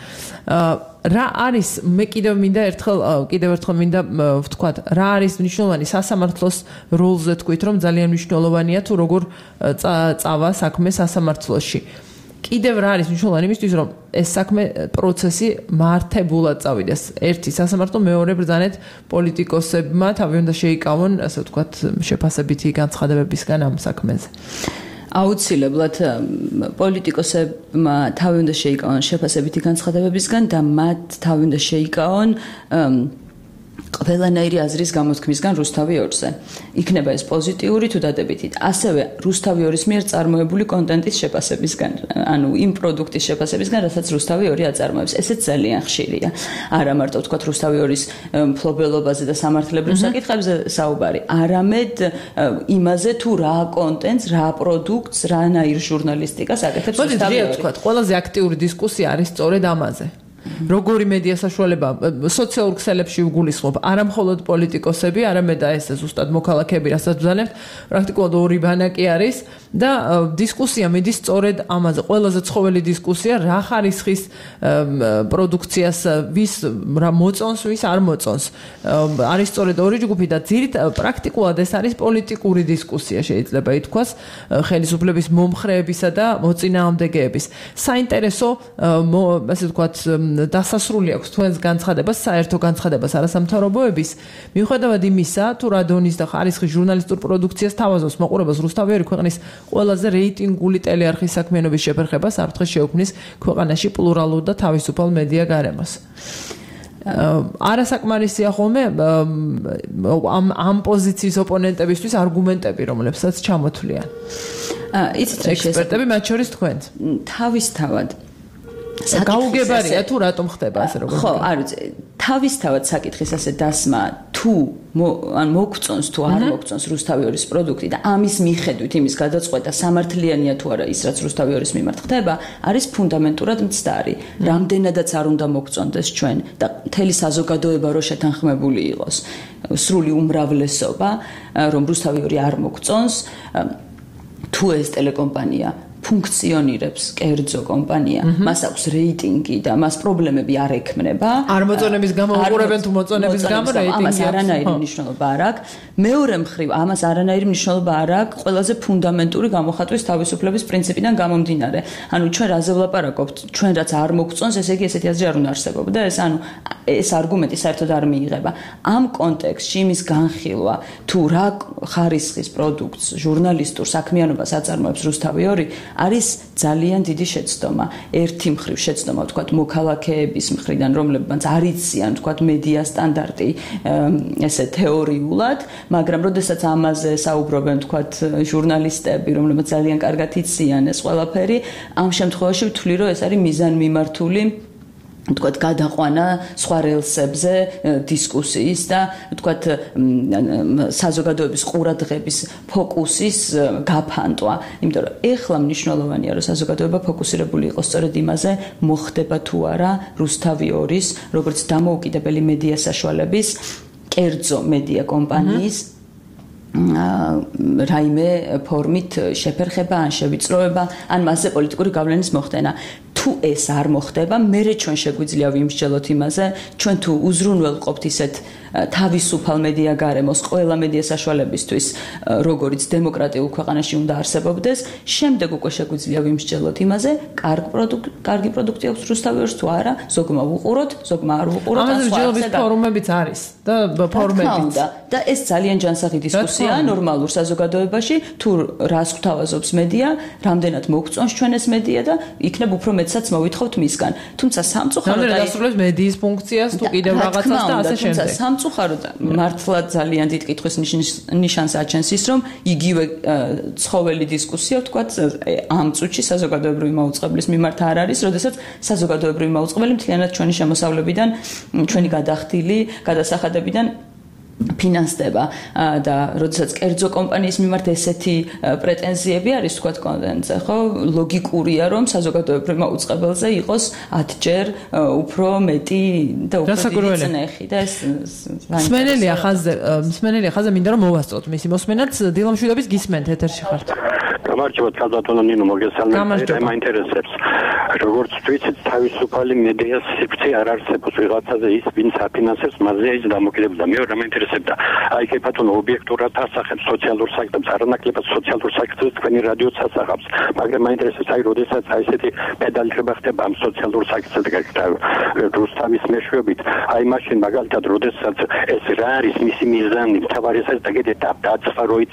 რა არის მე კიდევ მინდა ერთხელ კიდევ ერთხელ მინდა ვთქვათ, რა არის მნიშვნელოვანი სასამართლოს როლზე თქვით, რომ ძალიან მნიშვნელოვანია თუ როგორ წავა საქმე სასამართლოში. კიდევ რა არის მნიშვნელოვანი იმისთვის, რომ ეს საქმე პროცესი მართებულად წავიდეს. ერთი სასამართლო, მეორე ბრძანეთ პოლიტიკოსებმა თავი უნდა შეიკავონ, ასე ვთქვათ, შეფასებითი განცხადებებისგან ამ საქმეზე. აუცილებლად პოლიტიკოსებმა თავი უნდა შეიკავონ შეფასებითი განცხადებებისგან და მათ თავი უნდა შეიკავონ ყველანაირი აზრის გამოთქმისგან რუსთავი ორზე. იქნება ეს პოზიტიური თუ დადებითი. ასევე რუსთავი ორის მიერ წარმოებული კონტენტის შეფასებისგან, ანუ იმ პროდუქტის შეფასებისგან, რასაც რუსთავი ორი აწარმოებს. ესეც ძალიან ხშირია. არა მარტო ვთქვათ რუსთავი ორის მფლობელობაზე და სამართლებრივ საკითხებზე საუბარი, არამედ იმაზე თუ რა კონტენტს, რა პროდუქტს, რანაირ ჟურნალისტიკას აკეთებს რუსთავი ორი. მოდი ვთქვათ, ყველაზე აქტიური დისკუსია არის სწორედ ამაზე. როგორი მედია საშუალება სოციალურ ქსელებში უგულისხმობ არა მხოლოდ პოლიტიკოსები, არამედ და ეს ზუსტად მოქალაქეები, რასაც ვზანებთ, პრაქტიკულად ორი ბანაკი არის და დისკუსია მიდის სწორედ ამაზე. ყველაზე ცხოველი დისკუსია რა ხარისხის პროდუქციას ვის რა მოწონს, ვის არ მოწონს. არის სწორედ ორი ჯგუფი და ძირით პრაქტიკულად ეს არის პოლიტიკური დისკუსია, შეიძლება ითქვას, ხელისუფლების მომხრეებისა და მოწინააღმდეგეების. საინტერესო, ასე ვთქვათ, დასასრული აქვს თქვენს განცხადებას, საერთო განცხადებას არასამთავრობოების, მიუხედავად იმისა, თუ რა დონის და ხარისხის ჟურნალისტურ პროდუქციას თავაზობს მოყურებას რუსთავი ორი ქვეყნის ყველაზე რეიტინგული ტელეარხის საქმიანობის შეფერხებას აფრთხეს შეუქმნის ქვეყანაში პლურალურ და თავისუფალ მედია გარემოს. არასაკმარისია ხოლმე ამ ამ პოზიციის ოპონენტებისთვის არგუმენტები, რომლებსაც ჩამოთვლიან. იცით რა ექსპერტები, მათ შორის თქვენც. თავისთავად გაუგებარია თუ რატომ ხდება ასე როგორ ხო, არ ვიცი, თავისთავად საკითხის ასე დასმა თუ ან მოგწონს თუ არ მოგწონს რუსთავი ორის პროდუქტი და ამის მიხედვით იმის გადაწყვეტა სამართლიანია თუ არა ის რაც რუსთავი ორის მიმართ ხდება, არის ფუნდამენტურად მცდარი. რამდენადაც არ უნდა მოგწონდეს ჩვენ და მთელი საზოგადოება რო შეთანხმებული იყოს, სრული უმრავლესობა, რომ რუსთავი ორი არ მოგწონს, თუ ეს ტელეკომპანია ფუნქციონირებს კერძო კომპანია, მას აქვს რეიტინგი და მას პრობლემები არ ექმნება. არ მოწონების გამო უყურებენ თუ მოწონების გამო რეიტინგი ამას არანაირი მნიშვნელობა არ აქვს. მეორე მხრივ, ამას არანაირი მნიშვნელობა არ აქვს ყველაზე ფუნდამენტური გამოხატვის თავისუფლების პრინციპიდან გამომდინარე. ანუ ჩვენ რაზე ვლაპარაკობთ, ჩვენ რაც არ მოგწონს, ესე იგი ესეთი აზრი არ უნდა არსებობდეს და ეს ანუ ეს არგუმენტი საერთოდ არ მიიღება. ამ კონტექსტში იმის განხილვა, თუ რა ხარისხის პროდუქტს ჟურნალისტურ საქმიანობას აწარმოებს რუსთავი ორი არის ძალიან დიდი შეცდომა. ერთი მხრივ შეცდომა, ვთქვათ, მოქალაქეების მხრიდან, რომლებმაც არ იციან, ვთქვათ, მედია სტანდარტი ესე თეორიულად, მაგრამ როდესაც ამაზე საუბრობენ, ვთქვათ, ჟურნალისტები, რომლებმაც ძალიან კარგად იციან ეს ყველაფერი, ამ შემთხვევაში ვთვლი, რომ ეს არის მიზანმიმართული თქვათ გადაყვანა სხვა რელსებზე დისკუსიის და თქვათ საზოგადოების ყურადღების ფოკუსის გაფანტვა. იმიტომ რომ ეხლა მნიშვნელოვანია რომ საზოგადოება ფოკუსირებული იყოს სწორედ იმაზე, მოხდება თუ არა რუსთავი ორის, როგორც დამოუკიდებელი მედია საშუალების კერძო მედია კომპანიის რაიმე ფორმით შეფერხება ან შევიწროება, ან მასზე პოლიტიკური გავლენის მოხდენა. თუ ეს არ მოხდება, მერე ჩვენ შეგვიძლია ვიმსჯელოთ იმაზე, ჩვენ თუ უზრუნველყოფთ ისეთ თავისუფალ მედია გარემოს ყველა მედია საშუალებისთვის, როგორც დემოკრატიულ ქვეყანაში უნდა არსებობდეს, შემდეგ უკვე შეგვიძლია ვიმსჯელოთ იმაზე, კარგი პროდუქტი, კარგი პროდუქტი აქვს რუსთავი ორს თუ არა, ზოგმა ვუყუროთ, ზოგმა არ ვუყუროთ, ამაზე მსჯელობის ფორუმებიც არის და ფორუმებიც. და ეს ძალიან ჯანსაღი დისკუსიაა ნორმალურ საზოგადოებაში, თუ რას გვთავაზობს მედია, რამდენად მოგწონს ჩვენ ეს მედია და იქნებ უფრო მეცაც მოვითხოვთ მისგან. თუმცა სამწუხაროდ აი დასრულებს მედიის ფუნქციას თუ კიდევ რაღაცას და ასე შემდეგ. სამწუხაროდ მართლა ძალიან დიდ კითხვის ნიშანს აჩენს ის, რომ იგივე ცხოველი დისკუსია, ვთქვათ, ამ წუთში საზოგადოებრივი მაუწყებლის მიმართ არ არის, როდესაც საზოგადოებრივი მაუწყებელი მთლიანად ჩვენი შემოსავლებიდან, ჩვენი გადახდილი, გადასახადებიდან ფინანსდება და როდესაც კერძო კომპანიის მიმართ ესეთი პრეტენზიები არის, თქვათ, კონტენტზე, ხო, ლოგიკურია, რომ საზოგადოებრივ მაუწყებელზე იყოს ათჯერ უფრო მეტი და უფრო დიდი წნეხი და ეს მსმენელია ხაზზე, მსმენელია ხაზზე მინდა რომ მოვასწროთ მისი მოსმენაც. დილა მშვიდობის გისმენთ, ეთერში ხართ. გამარჯობათ, კაზატონო ნინო, მოგესალმებით. მაინტერესებს როგორც თვითონ თავისუფალი მედიას სივრცე არ არსებობს ვიღაცაზე ის ვინც აფინანსებს მასზე ის დამოკიდებულება. მეორე მაინტერესებდა აი კეფათონო ობიექტურად ასახებს სოციალურ საქმეს, არანაკლებად სოციალურ საქმეს თქვენი რადიოც ასახავს, მაგრამ მაინტერესებს აი როდესაც აი ესეთი პედალირება ხდება ამ სოციალურ საქმეზე და რუსთავის მეშვეობით, აი მაშინ მაგალითად როდესაც ეს რა არის მისი მიზანი, თავარი ეს დაგედეთ დაწვაროიც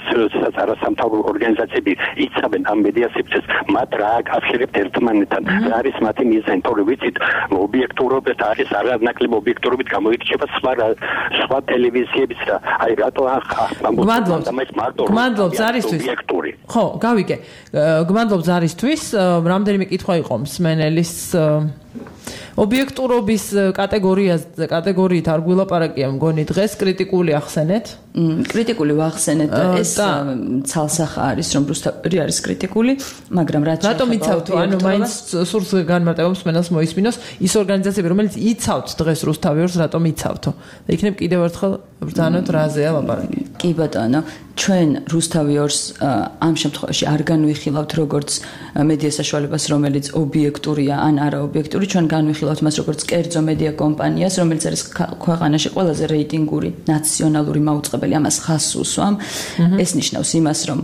არასამთავრობო ორგანიზაციები იცავენ ამ მედია სივრცეს, მათ რა აკავშირებთ ერთმანეთთან, რა არის მათი მიზანი, თორე ვიცით ობიექტურობით არის არანაკლებ ობიექტურობით გამოირჩევა სხვა სხვა ტელევიზიებიც და აი რატო გმადლობთ ზარისთვის. ხო, გავიგე. გმადლობთ ზარისთვის. რამდენიმე კითხვა იყო მსმენელის ობიექტურობის კატეგორიაზე, კატეგორიით არ გვილაპარაკია მგონი დღეს, კრიტიკული ახსენეთ. კრიტიკული ვახსენეთ და ეს ცალსახა არის, რომ რუსთავი არის კრიტიკული, მაგრამ რაც რატომ იცავთ, ანუ მაინც სურს განმარტება მსმენელს მოისმინოს, ის ორგანიზაციები, რომელიც იცავთ დღეს რუსთავი ორს, რატომ იცავთო? და იქნებ კიდევ ერთხელ ბრძანოთ რაზეა ლაპარაკი. კი ბატონო, ჩვენ რუსთავი ორს ამ შემთხვევაში არ განვიხილავთ როგორც მედია საშუალებას, რომელიც ობიექტურია ან არაობიექტური, ჩვენ განვიხილავთ მას როგორც კერძო მედია კომპანიას, რომელიც არის ქვეყანაში ყველაზე რეიტინგური ნაციონალური მაუწყებელი, ამას ხაზს უსვამ. ეს ნიშნავს იმას, რომ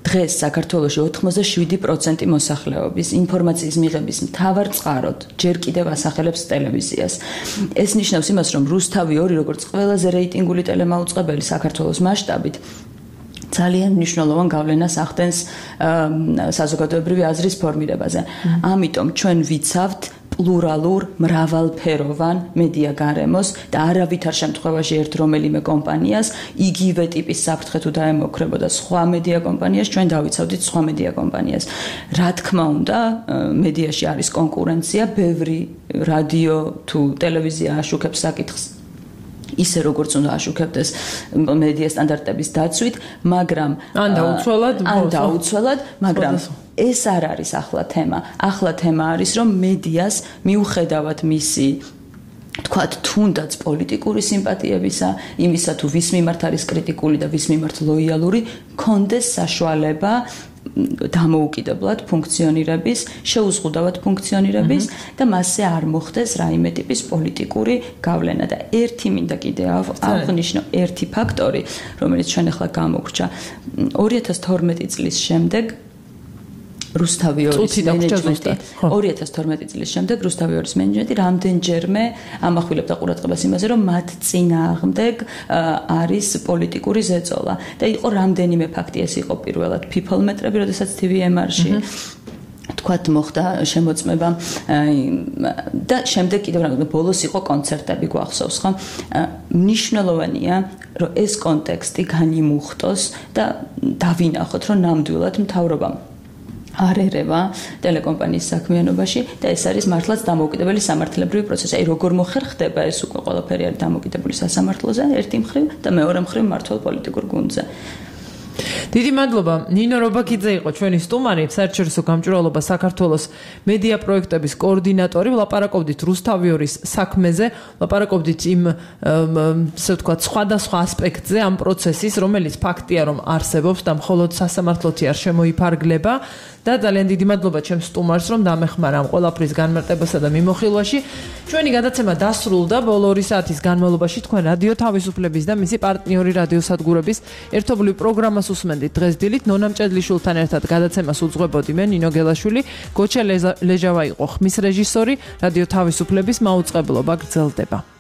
დღეს საქართველოში ოთხმოცდაშვიდი პროცენტი მოსახლეობის ინფორმაციის მიღების მთავარ წყაროდ ჯერ კიდევ ასახელებს ტელევიზიას. ეს ნიშნავს იმას, რომ რუსთავი ორი როგორც ყველაზე რეიტინგული ტელემაუწყებელი საქართველოს მასშტაბით ძალიან მნიშვნელოვან გავლენას ახდენს საზოგადოებრივი აზრის ფორმირებაზე. ამიტომ ჩვენ ვიცავთ პლურალურ, მრავალფეროვან მედია გარემოს და არავითარ შემთხვევაში ერთ რომელიმე კომპანიას იგივე ტიპის საფრთხე თუ დაემოქმებოდა სხვა მედია კომპანიას, ჩვენ დავიცავდით სხვა მედია კომპანიას. რა თქმა უნდა, მედიაში არის კონკურენცია, ბევრი რადიო თუ ტელევიზია აშუქებს საკითხს ისე როგორც უნდა აშუქებდეს მედია სტანდარტების დაცვით, მაგრამ ან დაუცველად, ან დაუცველად, მაგრამ ეს არ არის ახლა თემა. ახლა თემა არის, რომ მედიას მიუხედავად მისი თქვათ თუნდაც პოლიტიკური სიმპათიებისა, იმისა თუ ვის მიმართ არის კრიტიკული და ვის მიმართ ლოიალური, კონდეს საშუალება დამოუკიდებლად ფუნქციონირების, შეუზღუდავად ფუნქციონირების და მასზე არ მოხდეს რაიმე ტიპის პოლიტიკური გავლენა და ერთი მინდა კიდე აღნიშნო ერთი ფაქტორი, რომელიც ჩვენ ახლა გამოგვჭა ორი ათას თორმეტი წლის შემდეგ რუსთავი ორის მენეჯმენტი ორი ათას თორმეტი წლის შემდეგ რუსთავი ორის მენეჯმენტი რამდენჯერმე ამახვილებდა ყურადღებას იმაზე, რომ მათ წინააღმდეგ არის პოლიტიკური ზეწოლა და იყო რამდენიმე ფაქტი, ეს იყო პირველად people მეტრები, როდესაც T V M R-ში თქვათ მოხდა შემოწმება და შემდეგ კიდევ რა ბოლოს იყო კონცერტები გვახსოვს ხო? მნიშვნელოვანია, რომ ეს კონტექსტი განიმუხტოს და დავინახოთ, რომ ნამდვილად მთავრობამ არ ერევა ტელეკომპანიის საქმიანობაში და ეს არის მართლაც დამოუკიდებელი სამართლებრივი პროცესი. აი როგორ მოხერხდება ეს უკვე ყველაფერი არის დამოუკიდებელი სასამართლოზე ერთი მხრივ და მეორე მხრივ მართლ პოლიტიკურ გუნდზე. დიდი მადლობა. ნინო რობაქიძე იყო ჩვენი სტუმარი, საერთაშორისო გამჭვირვალობა საქართველოს მედია პროექტების კოორდინატორი. ვლაპარაკობდით რუსთავი ორის საქმეზე, ვლაპარაკობდით იმ ასე ვთქვათ სხვადასხვა ასპექტზე ამ პროცესის, რომელიც ფაქტია რომ არსებობს და მხოლოდ სასამართლოთი არ შემოიფარგლება. და ძალიან დიდი მადლობა ჩემს სტუმარს, რომ დამეხმარა ამ ყველაფრის განმარტებასა და მიმოხილვაში. ჩვენი გადაცემა დასრულდა. ბოლო ორი საათის განმავლობაში თქვენ რადიო თავისუფლების და მისი პარტნიორი რადიოსადგურების ერთობლივ პროგრამას უსმენდით. დღეს დილით ნონა მჭედლიშვილთან ერთად გადაცემას უძღვებოდი მე ნინო გელაშვილი, გოჩა ლეჟავა იყო ხმის რეჟისორი, რადიო თავისუფლების მაუწყებლობა გრძელდება.